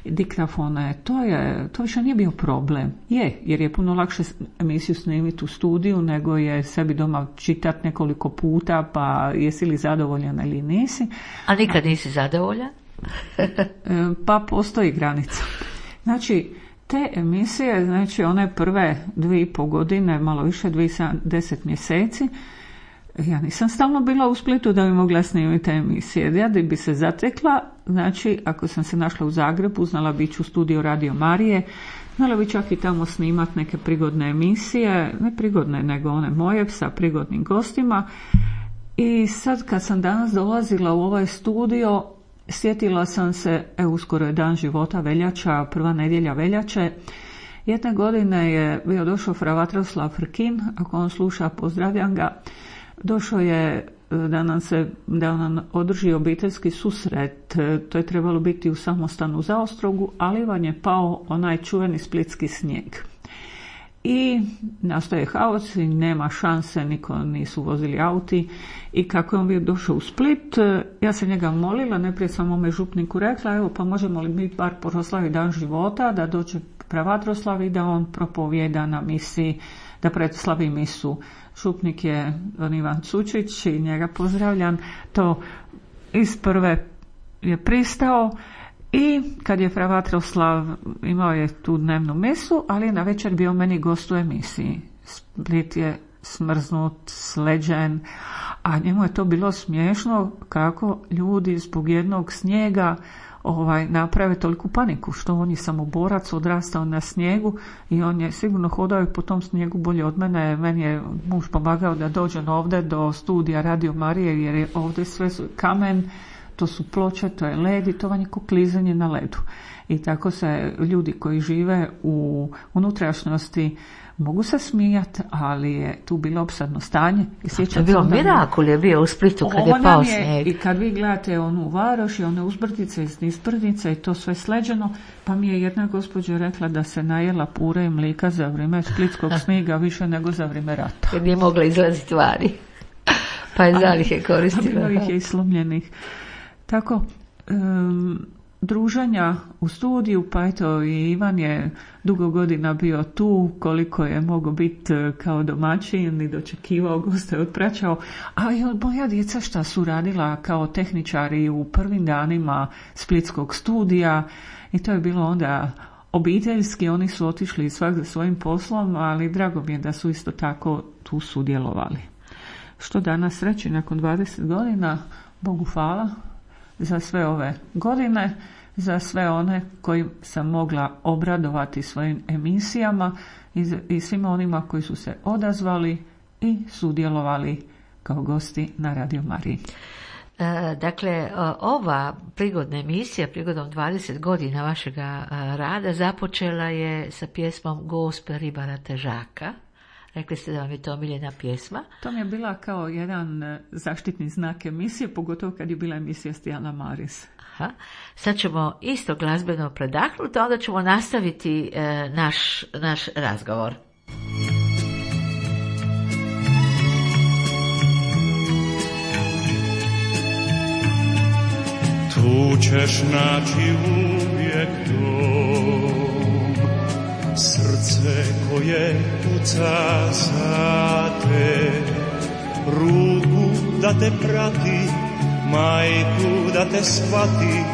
diktafone, to je, to više nije bio problem. Je, jer je puno lakše emisiju snimiti u studiju nego je sebi doma čitati nekoliko puta, pa jesi li zadovoljan ili nisi. A nikad nisi zadovoljan? Pa postoji granica. Znači, te emisije, znači one prve dvije i pol godine, malo više, dvije deset mjeseci, ja nisam stalno bila u Splitu da bi mogla snimiti te emisije. Ja da bi se zatekla, znači ako sam se našla u Zagrebu, znala bi ići u studio Radio Marije, znala bi čak i tamo snimati neke prigodne emisije, ne prigodne nego one moje sa prigodnim gostima. I sad kad sam danas dolazila u ovaj studio, sjetila sam se, evo uskoro je dan života, veljača, prva nedjelja veljače. Jedne godine je bio došao fra Vatroslav Frkin, ako on sluša, pozdravljam ga. Došao je da nam se da nam održi obiteljski susret, to je trebalo biti u samostanu u Zaostrogu, ali vam je pao onaj čuveni splitski snijeg. I nastaje haos i nema šanse, niko nisu vozili auti. I kako je on bio došao u Split, ja sam njega molila, najprije sam mome župniku rekla, evo pa možemo li mi bar proslaviti dan života, da dođe pravatroslav i da on propovijeda na misiji, da predslavi misu. Župnik je on Ivan Cučić i njega pozdravljam, to iz prve je pristao. I kad je fra Vatroslav imao je tu dnevnu misu, ali na večer bio meni gost u emisiji. Split je smrznut, sleđen, a njemu je to bilo smiješno kako ljudi zbog jednog snijega ovaj, naprave toliku paniku, što on je samoborac, odrastao na snijegu i on je sigurno hodao i po tom snijegu bolje od mene. Meni je muž pomagao da dođem ovdje do studija Radio Marije, jer je ovdje sve kamen, to su ploče, to je led i to vam je ko klizanje na ledu. I tako se ljudi koji žive u unutrašnjosti mogu se smijati, ali je tu bilo opsadno stanje. I to je bilo mirakul, je bio u Splitu kad je pao snijeg. I kad vi gledate onu Varoš i one uzbrdice i nispbrdice i to sve sleđeno, pa mi je jedna gospođa rekla da se najela pure i mlika za vrijeme splitskog snijega više nego za vrijeme rata. Jer nije mogla izlaziti vari. Pa je zalihe koristila. A bilo ih je i slomljenih. Tako, um, druženja u studiju, pa eto i Ivan je dugo godina bio tu, koliko je mogao biti kao domaćin i dočekivao goste, otpraćao. A moja djeca šta su radila kao tehničari u prvim danima splitskog studija i to je bilo onda obiteljski, oni su otišli svak za svojim poslom, ali drago mi je da su isto tako tu sudjelovali. Što danas reći nakon dvadeset godina, Bogu hvala za sve ove godine, za sve one koji sam mogla obradovati svojim emisijama i, i svima onima koji su se odazvali i sudjelovali kao gosti na Radio Mariji. E, dakle, ova prigodna emisija, prigodom dvadeset godina vašega rada, započela je sa pjesmom Gospe Ribara Težaka. Rekli ste da vam je to omiljena pjesma. To mi je bila kao jedan zaštitni znak emisije, pogotovo kad je bila emisija Stijana Maris. Aha. Sad ćemo isto glazbeno predahnuti, a onda ćemo nastaviti e, naš, naš razgovor. Tu ćeš naći uvijek dom, srce koje puca za te, ruku da te prati, majku da te shvati,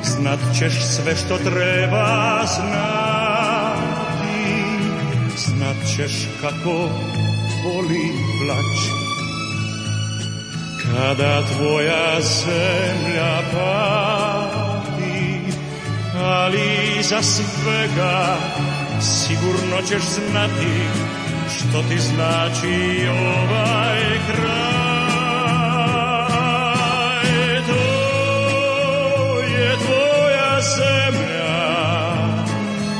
znat ćeš sve što treba znati, znat ćeš kako boli plać, kada tvoja zemlja pati, ali za svega sigurno ćeš znati što ti znači ovaj kraj. To je tvoja zemlja,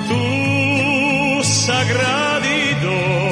tu sagradi dom,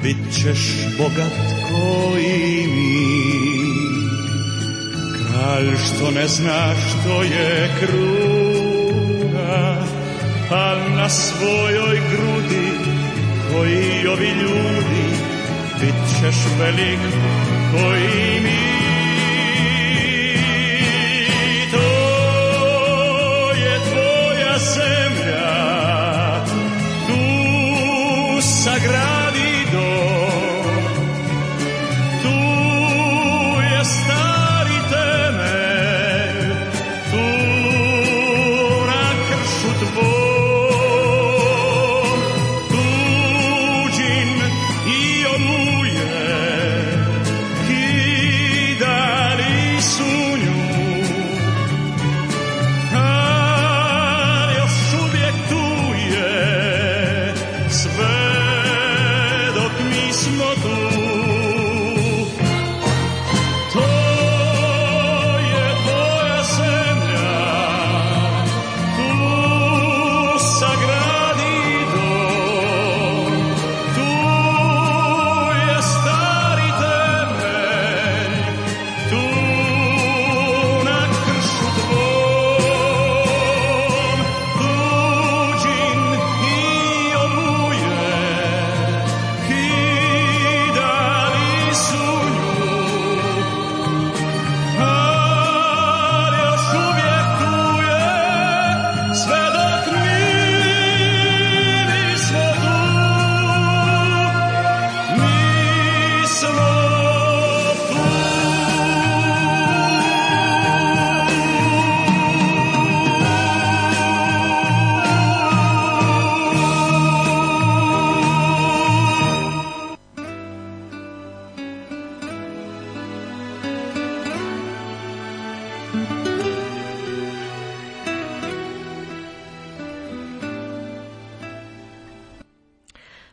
bit ćeš bogat koji mi. Kralj što ne zna što je kruna, a na svojoj grudi koji ovi ljudi, bit ćeš velik koji mi. To je tvoja zemlja, tu sagradi dom, tu je stari temelj, tu na kršu tvom, tuđin i oluje, kidali su nju, ali još uvijek tu je, sve dok mi smo tu. To je tvoja zemlja, tu sagradi dom, tu je stari temelj, tu na kršu tvom, tuđin i oluje, kidali su nju, ali još uvijek tu je, sve dok mi nismo tu, mi smo tu.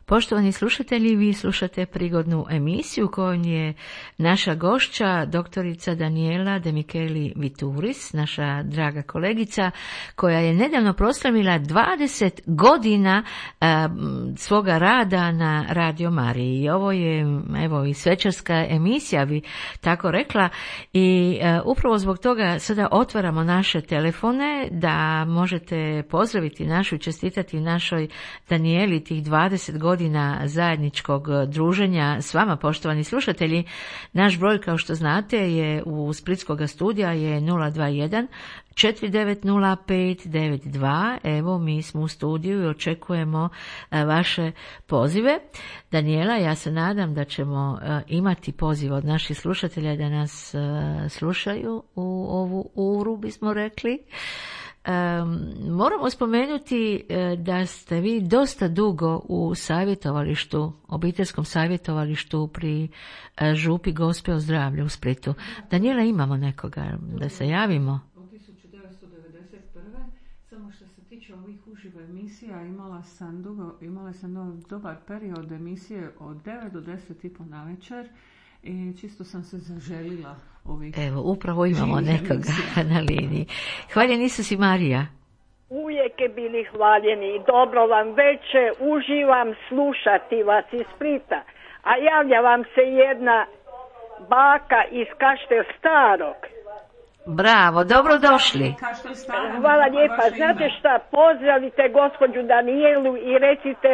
Poštovani slušatelji, vi slušate prigodnu emisiju kojom je naša gošća, doktorica Daniela De Micheli Vituris, naša draga kolegica, koja je nedavno proslavila dvadeset godina a, svoga rada na Radio Mariji. I ovo je, evo, i svečarska emisija, bi tako rekla, i a, upravo zbog toga sada otvaramo naše telefone da možete pozdraviti našu i čestitati našoj Danieli tih dvadeset godina zajedničkog druženja s vama, poštovani slušatelji. Naš broj, kao što znate, je u Splitskog studija je nula dva jedan četiri devet nula pet devet dva. Evo, mi smo u studiju i očekujemo a, vaše pozive. Daniela, ja se nadam da ćemo a, imati poziv od naših slušatelja da nas a, slušaju u ovu uru, bismo rekli. Um, moramo spomenuti uh, da ste vi dosta dugo u savjetovalištu, obiteljskom savjetovalištu pri uh, župi Gospe o zdravlju u Splitu. Daniela, imamo nekoga da se javimo? Od tisuću devetsto devedeset prve. Samo što se tiče ovih uživo emisija, imala sam dugo, imala sam dobar period emisije od devet do deset i po na večer i čisto sam se zaželila ovih. Evo, upravo imamo nekoga na liniji. Hvaljen Isus i Marija. Uvijek je bili hvaljeni i dobro vam veče, uživam slušati vas iz Splita. A javlja vam se jedna baka iz Kaštel Starog. Bravo, dobrodošli. Hvala lijepa. Znate šta, pozdravite gospođu Danielu i recite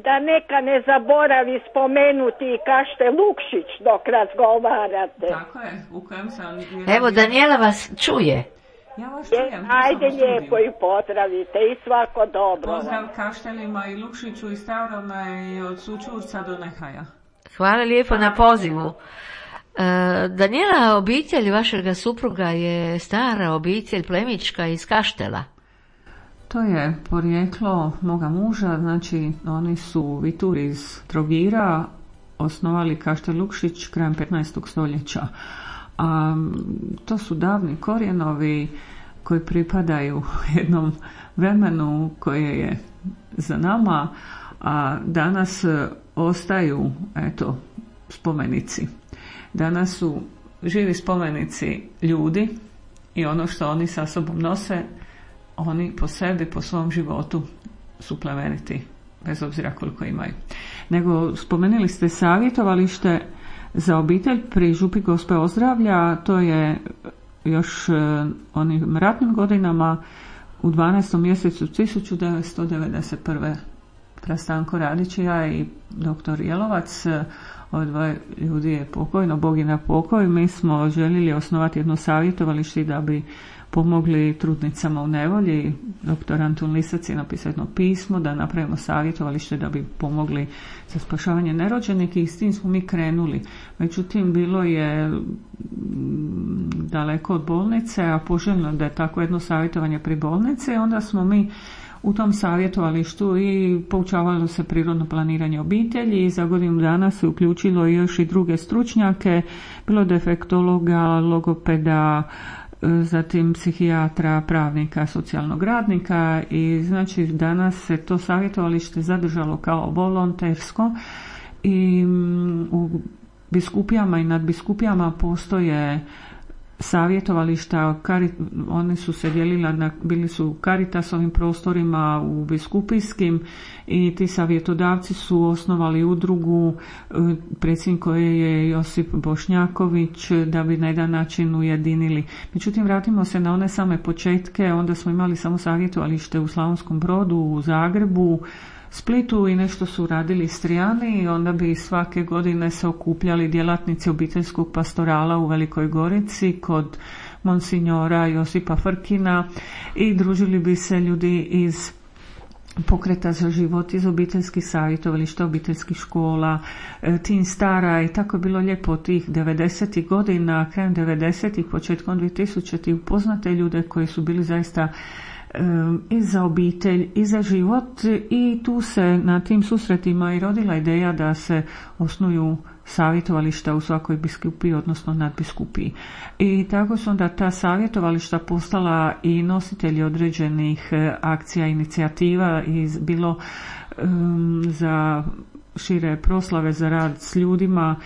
da neka ne zaboravi spomenuti Kaštel Lukšić dok razgovarate. Tako je, u kojem sam... Evo, Daniela vas čuje. Ja vas čujem. Ajde lijepo i pozdravite i svako dobro. Pozdrav Kaštelima i Lukšiću i Stavrome i od Sučurca do Nehaja. Hvala lijepo na pozivu. Daniela, obitelj vašega supruga je stara obitelj plemička iz Kaštela. To je porijeklo moga muža, znači oni su Vituri iz Trogira osnovali Kaštel Lukšić krajem petnaestog stoljeća. A to su davni korijenovi koji pripadaju jednom vremenu koje je za nama, a danas ostaju, eto, spomenici. Danas su živi spomenici ljudi i ono što oni sa sobom nose, oni po sebi, po svom životu su plemeniti, bez obzira koliko imaju. nego spomenuli ste savjetovalište za obitelj pri Župi Gospe Ozdravlja. To je još onim ratnim godinama u dvanaestom mjesecu tisuću devetsto devedeset prve. Prastanko Radić i ja i doktor Jelovac, ove dvoje ljudi je pokojno, Bog je na pokoj. Mi smo željeli osnovati jedno savjetovalište da bi pomogli trudnicama u nevolji. Doktor Antun Lisac je napisao jedno pismo da napravimo savjetovalište da bi pomogli za spašavanje nerođenih i s tim smo mi krenuli. Međutim, bilo je daleko od bolnice, a poželjno da je tako jedno savjetovanje pri bolnici. Onda smo mi u tom savjetovalištu i poučavalo se prirodno planiranje obitelji i za godinu dana se uključilo još i druge stručnjake, bilo defektologa, logopeda, zatim psihijatra, pravnika, socijalnog radnika i znači danas se to savjetovalište zadržalo kao volontersko i u biskupijama i nadbiskupijama postoje savjetovališta, oni su se dijelila na, bili su u Caritasovim prostorima, u biskupijskim i ti savjetodavci su osnovali udrugu, predsjednik koje je Josip Bošnjaković, da bi na jedan način ujedinili. Međutim, vratimo se na one same početke, onda smo imali samo savjetovalište u Slavonskom Brodu, u Zagrebu, Splitu i nešto su radili Istrijani i onda bi svake godine se okupljali djelatnici obiteljskog pastorala u Velikoj Gorici kod monsignora Josipa Frkina i družili bi se ljudi iz Pokreta za život, iz obiteljskih savjetovališta, obiteljskih škola, Tin Stara i tako je bilo lijepo tih devedesetih godina, krajem devedesetih, početkom dvitisućitih upoznate ljude koji su bili zaista i za obitelj i za život i tu se na tim susretima i rodila ideja da se osnuju savjetovališta u svakoj biskupiji, odnosno nadbiskupiji. I tako su onda ta savjetovališta postala i nositelji određenih akcija, inicijativa i bilo um, za šire proslave, za rad s ljudima.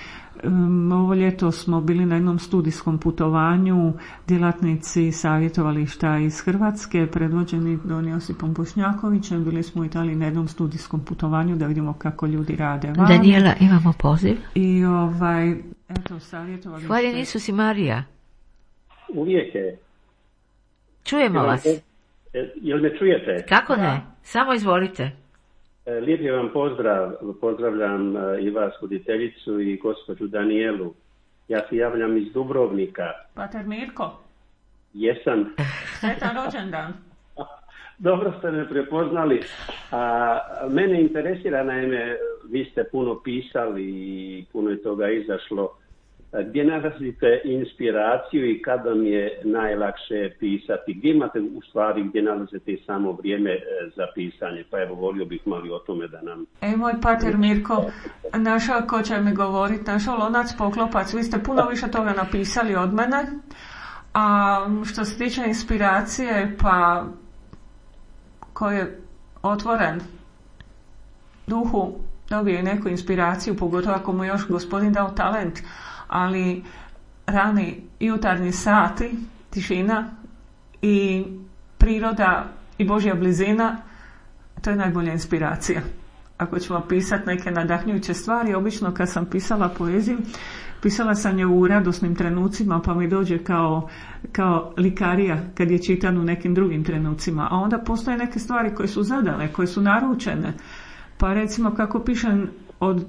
Um, ovo ljeto smo bili na jednom studijskom putovanju, djelatnici savjetovališta iz Hrvatske, predvođeni don Josipom Bošnjakovićem. Bili smo u Italiji na jednom studijskom putovanju da vidimo kako ljudi rade van. Daniela, imamo poziv. I ovaj, eto, savjetovalište. Hvaljen Isus i Marija. Uvijek je. Čujemo vas. Jel me čujete? Kako ne? Samo izvolite. Lijepi vam pozdrav, pozdravljam i vas, voditeljicu i gospođu Danijelu. Ja se javljam iz Dubrovnika. Pater Mirko. Jesam. Sretan rođendan. Dobro ste me prepoznali. A, mene interesira, naime, vi ste puno pisali i puno je toga izašlo. Gdje nalazite inspiraciju i kada vam je najlakše pisati? Gdje imate u stvari, gdje nalazite i samo vrijeme za pisanje? Pa evo, volio bih mali o tome da nam... E, moj pater Mirko, našao ko će mi govoriti, našao lonac poklopac, vi ste puno više toga napisali od mene. A što se tiče inspiracije, pa ko je otvoren duhu, dobije neku inspiraciju, pogotovo ako mu još gospodin dao talent, ali rani jutarnji sati, tišina i priroda i Božja blizina, to je najbolja inspiracija. Ako ćemo pisati neke nadahnjujuće stvari, obično kad sam pisala poeziju, pisala sam je u radosnim trenucima, pa mi dođe kao, kao likarija kad je čitan u nekim drugim trenucima. A onda postoje neke stvari koje su zadane, koje su naručene. Pa recimo kako pišem od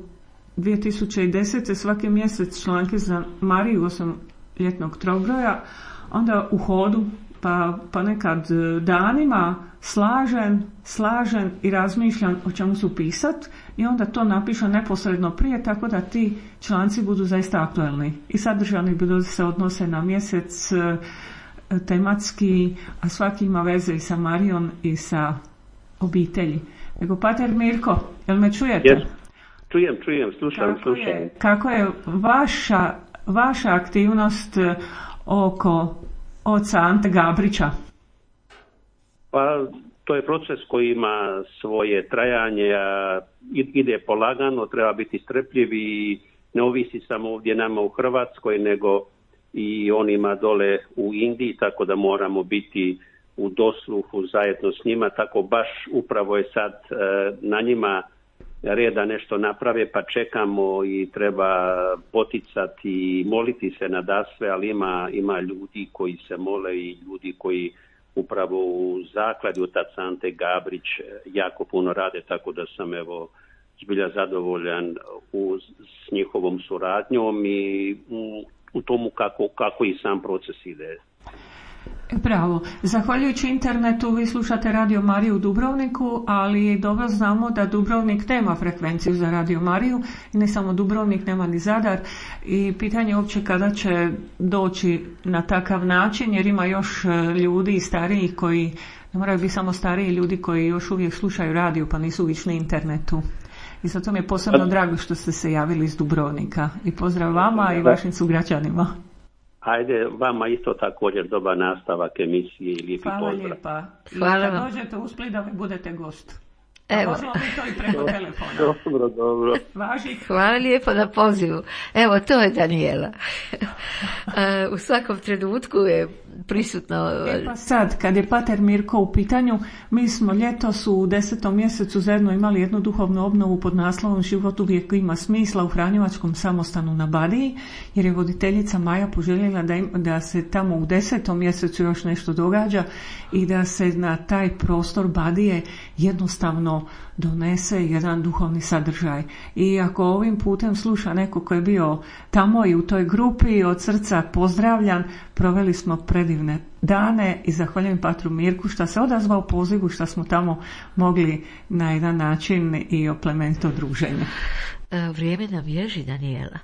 dvije tisuće desete svaki mjesec članke za Mariju osim ljetnog trobroja, onda u hodu pa, pa nekad danima slažem, slažem i razmišljam o čemu su pisat i onda to napišem neposredno prije, tako da ti članci budu zaista aktualni i sadržani budu se odnose na mjesec tematski, a svaki ima veze i sa Marijom i sa obitelji. Nego, pater Mirko, jel me čujete? Yes. Čujem, čujem, slušam, kako slušam. Je, kako je vaša, vaša aktivnost oko oca Ante Gabrića? Pa to je proces koji ima svoje trajanje, a ide polagano, treba biti strpljiv i ne ovisi samo ovdje nama u Hrvatskoj, nego i onima dole u Indiji, tako da moramo biti u dosluhu zajedno s njima, tako baš upravo je sad na njima reda nešto naprave, pa čekamo i treba poticati i moliti se nadasve, ali ima, ima ljudi koji se mole i ljudi koji upravo u zakladi od Tac Ante Gabrić jako puno rade, tako da sam evo zbilja zadovoljan u, s njihovom suradnjom i u, u tomu kako, kako i sam proces ide. Bravo. Zahvaljujući internetu vi slušate Radio Mariju u Dubrovniku, ali dobro znamo da Dubrovnik nema frekvenciju za Radio Mariju i ne samo Dubrovnik, nema ni Zadar i pitanje je uopće kada će doći na takav način, jer ima još ljudi starijih koji, ne moraju biti samo stariji ljudi koji još uvijek slušaju radio pa nisu išli internetu. I zato mi je posebno drago što ste se javili iz Dubrovnika i pozdrav vama i vašim sugrađanima. Ajde, vama isto također dobar nastavak emisije i lijepi Hvala pozdrav. Lijepa. I Hvala kad vam. dođete u Split da mi budete gost. Evo. Možemo mi to i preko telefona. Dobro, dobro. Važi. Hvala lijepo na pozivu. Evo, to je Danijela. U svakom trenutku je prisutno... E pa sad, kad je pater Mirko u pitanju, mi smo ljetos u desetom mjesecu zajedno imali jednu duhovnu obnovu pod naslovom Život uvijek ima smisla u Franjevačkom samostanu na Badiji, jer je voditeljica Maja poželjela da, im, da se tamo u desetom mjesecu još nešto događa i da se na taj prostor Badije jednostavno donese jedan duhovni sadržaj. I ako ovim putem sluša neko ko je bio tamo i u toj grupi, od srca pozdravljan, proveli smo predivne dane i zahvaljujem patru Mirku što se odazvao pozivu, što smo tamo mogli na jedan način i oplemenito druženje. Vrijeme nam bježi, Danijela.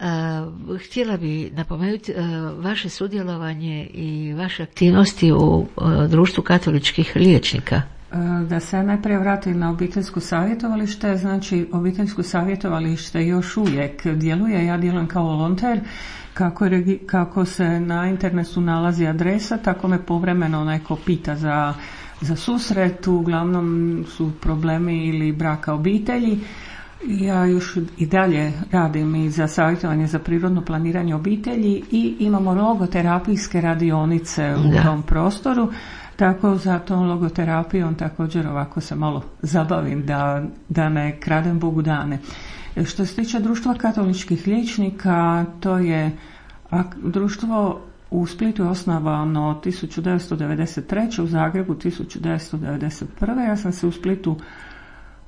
Uh, htjela bi napomenuti uh, vaše sudjelovanje i vaše aktivnosti u uh, društvu katoličkih liječnika. Da se najprije vratim na obiteljsko savjetovalište, znači obiteljsko savjetovalište još uvijek djeluje, ja djelujem kao volonter, kako, je, kako se na internetu nalazi adresa, tako me povremeno neko pita za, za susret, uglavnom su problemi ili braka obitelji. Ja još i dalje radim i za savjetovanje za prirodno planiranje obitelji i imamo logoterapijske radionice u da. tom prostoru. Tako za tom logoterapijom također ovako se malo zabavim da, da ne kradem Bogu dane. Što se tiče društva katoličkih liječnika, to je društvo u Splitu je osnovano tisuću devetsto devedeset treće, u Zagrebu tisuću devetsto devedeset prve. Ja sam se u Splitu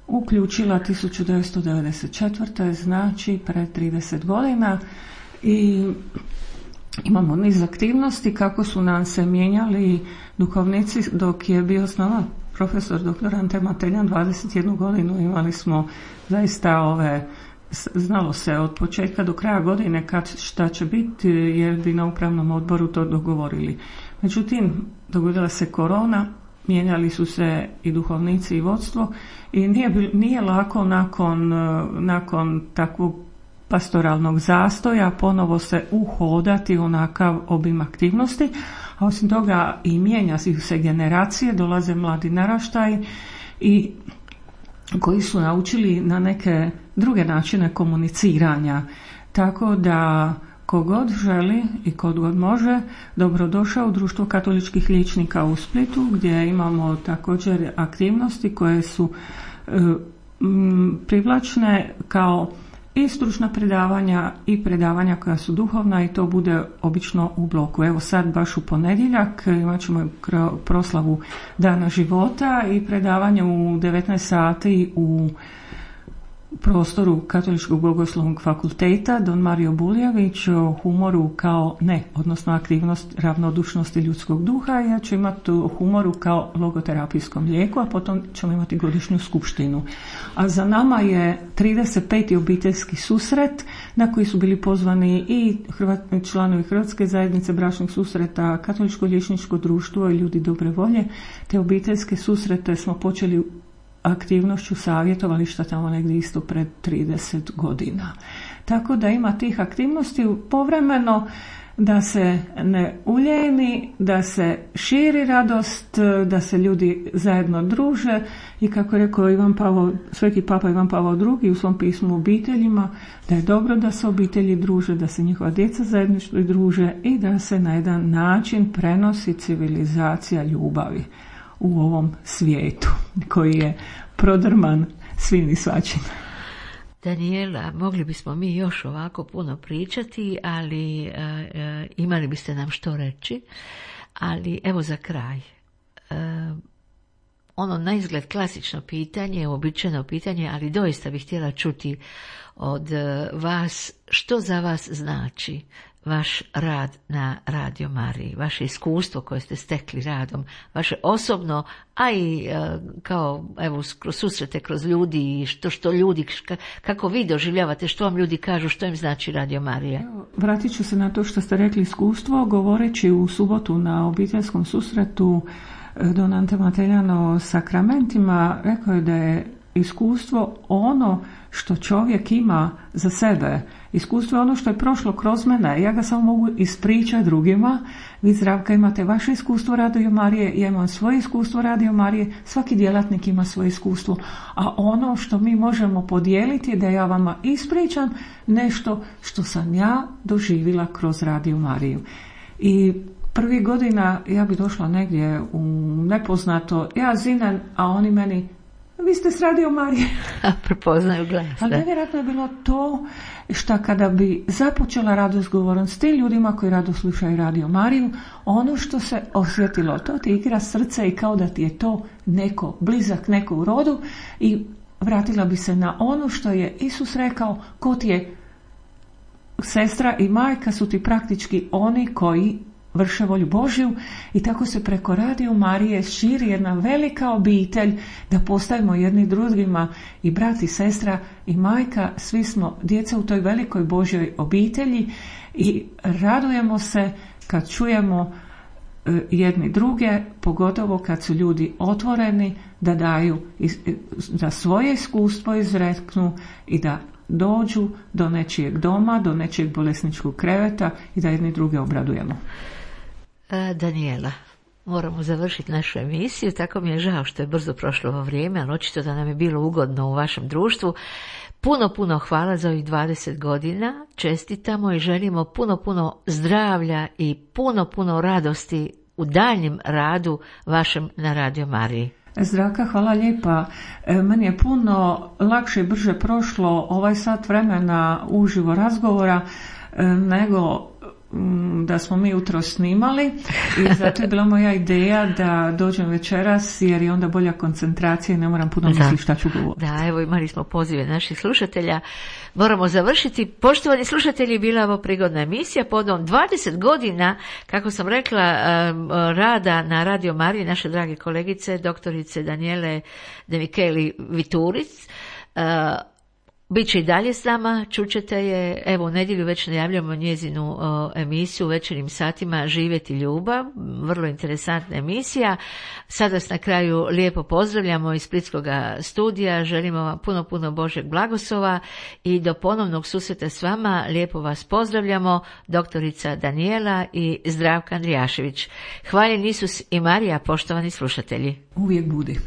uključila tisuću devetsto devedeset četvrte. znači pred trideset godina i imamo niz aktivnosti kako su nam se mijenjali duhovnici dok je bio s nama profesor doktor Ante Mateljan dvadeset jednu godinu. Imali smo zaista ove, znalo se od početka do kraja godine kad šta će biti jer bi na upravnom odboru to dogovorili. Međutim, dogodila se korona, mijenjali su se i duhovnici i vodstvo i nije, nije lako nakon, nakon takvog pastoralnog zastoja ponovo se uhodati onakav obim aktivnosti, a osim toga i mijenja se generacije, dolaze mladi naraštaji i koji su naučili na neke druge načine komuniciranja, tako da kogod želi i kogod može, dobrodošao u društvo katoličkih liječnika u Splitu gdje imamo također aktivnosti koje su e, m, privlačne kao i stručna predavanja i predavanja koja su duhovna i to bude obično u bloku. Evo sad baš u ponedjeljak imat ćemo proslavu Dana života i predavanje u devetnaest sati u prostoru Katoličkog bogoslovnog fakulteta Don Mario Buljević o humoru kao ne, odnosno aktivnost ravnodušnosti ljudskog duha. Ja ću imati o humoru kao logoterapijskom lijeku, a potom ćemo imati godišnju skupštinu. A za nama je trideset peti obiteljski susret na koji su bili pozvani i Hrvat, članovi Hrvatske zajednice bračnih susreta, Katoličko liječničko društvo i ljudi dobre volje. Te obiteljske susrete smo počeli aktivnošću savjetovališta tamo negdje isto pred trideset godina. Tako da ima tih aktivnosti povremeno da se ne uljeni, da se širi radost, da se ljudi zajedno druže i kako je rekao Ivan Pavao, Sveti Papa Ivan Pavao drugi u svom pismu obiteljima, da je dobro da se obitelji druže, da se njihova djeca zajedništvo druže i da se na jedan način prenosi civilizacija ljubavi u ovom svijetu koji je prodrman svim i svačim. Danijela, mogli bismo mi još ovako puno pričati, ali e, e, imali biste nam što reći, ali evo za kraj. E, ono na izgled klasično pitanje, uobičajeno pitanje, ali doista bih htjela čuti od vas što za vas znači vaš rad na Radio Mariji, vaše iskustvo koje ste stekli radom, vaše osobno, a i e, kao evo kroz susrete, kroz ljudi, što što ljudi, kako vi doživljavate, što vam ljudi kažu, što im znači Radio Marija. Vratit ću se na to što ste rekli iskustvo, govoreći u subotu na obiteljskom susretu Don Ante Mateljano o sakramentima, rekao je da je iskustvo ono što čovjek ima za sebe. Iskustvo je ono što je prošlo kroz mene. Ja ga samo mogu ispričati drugima. Vi, Zdravka, imate vaše iskustvo Radio Marije, ja imam svoje iskustvo Radio Marije, svaki djelatnik ima svoje iskustvo. A ono što mi možemo podijeliti je da ja vama ispričam nešto što sam ja doživjela kroz Radio Mariju. I prvih godina ja bi došla negdje u nepoznato, ja zinem, a oni meni, vi ste s Radio Marije. Prepoznaju glas. Ali nevjerojatno je bilo to što kada bi započela razgovorom s tim ljudima koji rado slušaju Radio Mariju, ono što se osjetilo, to ti igra srce i kao da ti je to neko blizak, neko u rodu, i vratila bi se na ono što je Isus rekao, ko ti je sestra i majka su ti praktički oni koji vrše volju Božju, i tako se preko Radio Marije širi jedna velika obitelj da postajemo jedni drugima i brat i sestra i majka, svi smo djeca u toj velikoj Božjoj obitelji i radujemo se kad čujemo jedni druge, pogotovo kad su ljudi otvoreni da daju, da svoje iskustvo izreknu i da dođu do nečijeg doma, do nečijeg bolesničkog kreveta i da jedni druge obradujemo. Danijela, moramo završiti našu emisiju, tako mi je žao što je brzo prošlo ovo vrijeme, ali očito da nam je bilo ugodno u vašem društvu. Puno, puno hvala za ovih dvadeset godina, čestitamo i želimo puno, puno zdravlja i puno, puno radosti u daljnjem radu vašem na Radio Mariji. Zdravka, hvala lijepa. E, meni je puno lakše i brže prošlo ovaj sat vremena uživo razgovora e, nego da smo mi jutro snimali, i zato je bila moja ideja da dođem večeras jer je onda bolja koncentracija i ne moram puno misliti šta ću govoriti. Da, evo imali smo pozive naših slušatelja. Moramo završiti. Poštovani slušatelji, bila ovo prigodna emisija podom dvadeset godina, kako sam rekla, rada na Radio Mariji naše drage kolegice, doktorice Danijele De Micheli Vituric. Biće i dalje s nama, čućete je, evo u nedjelju već najavljamo njezinu o, emisiju u večernjim satima Živjeti ljubav, vrlo interesantna emisija. Sada vas na kraju lijepo pozdravljamo iz Splitskog studija, želimo vam puno, puno Božjeg blagoslova i do ponovnog susreta s vama lijepo vas pozdravljamo, doktorica Danijela i Zdravka Andrijašević. Hvaljen Isus i Marija, poštovani slušatelji. Uvijek budi.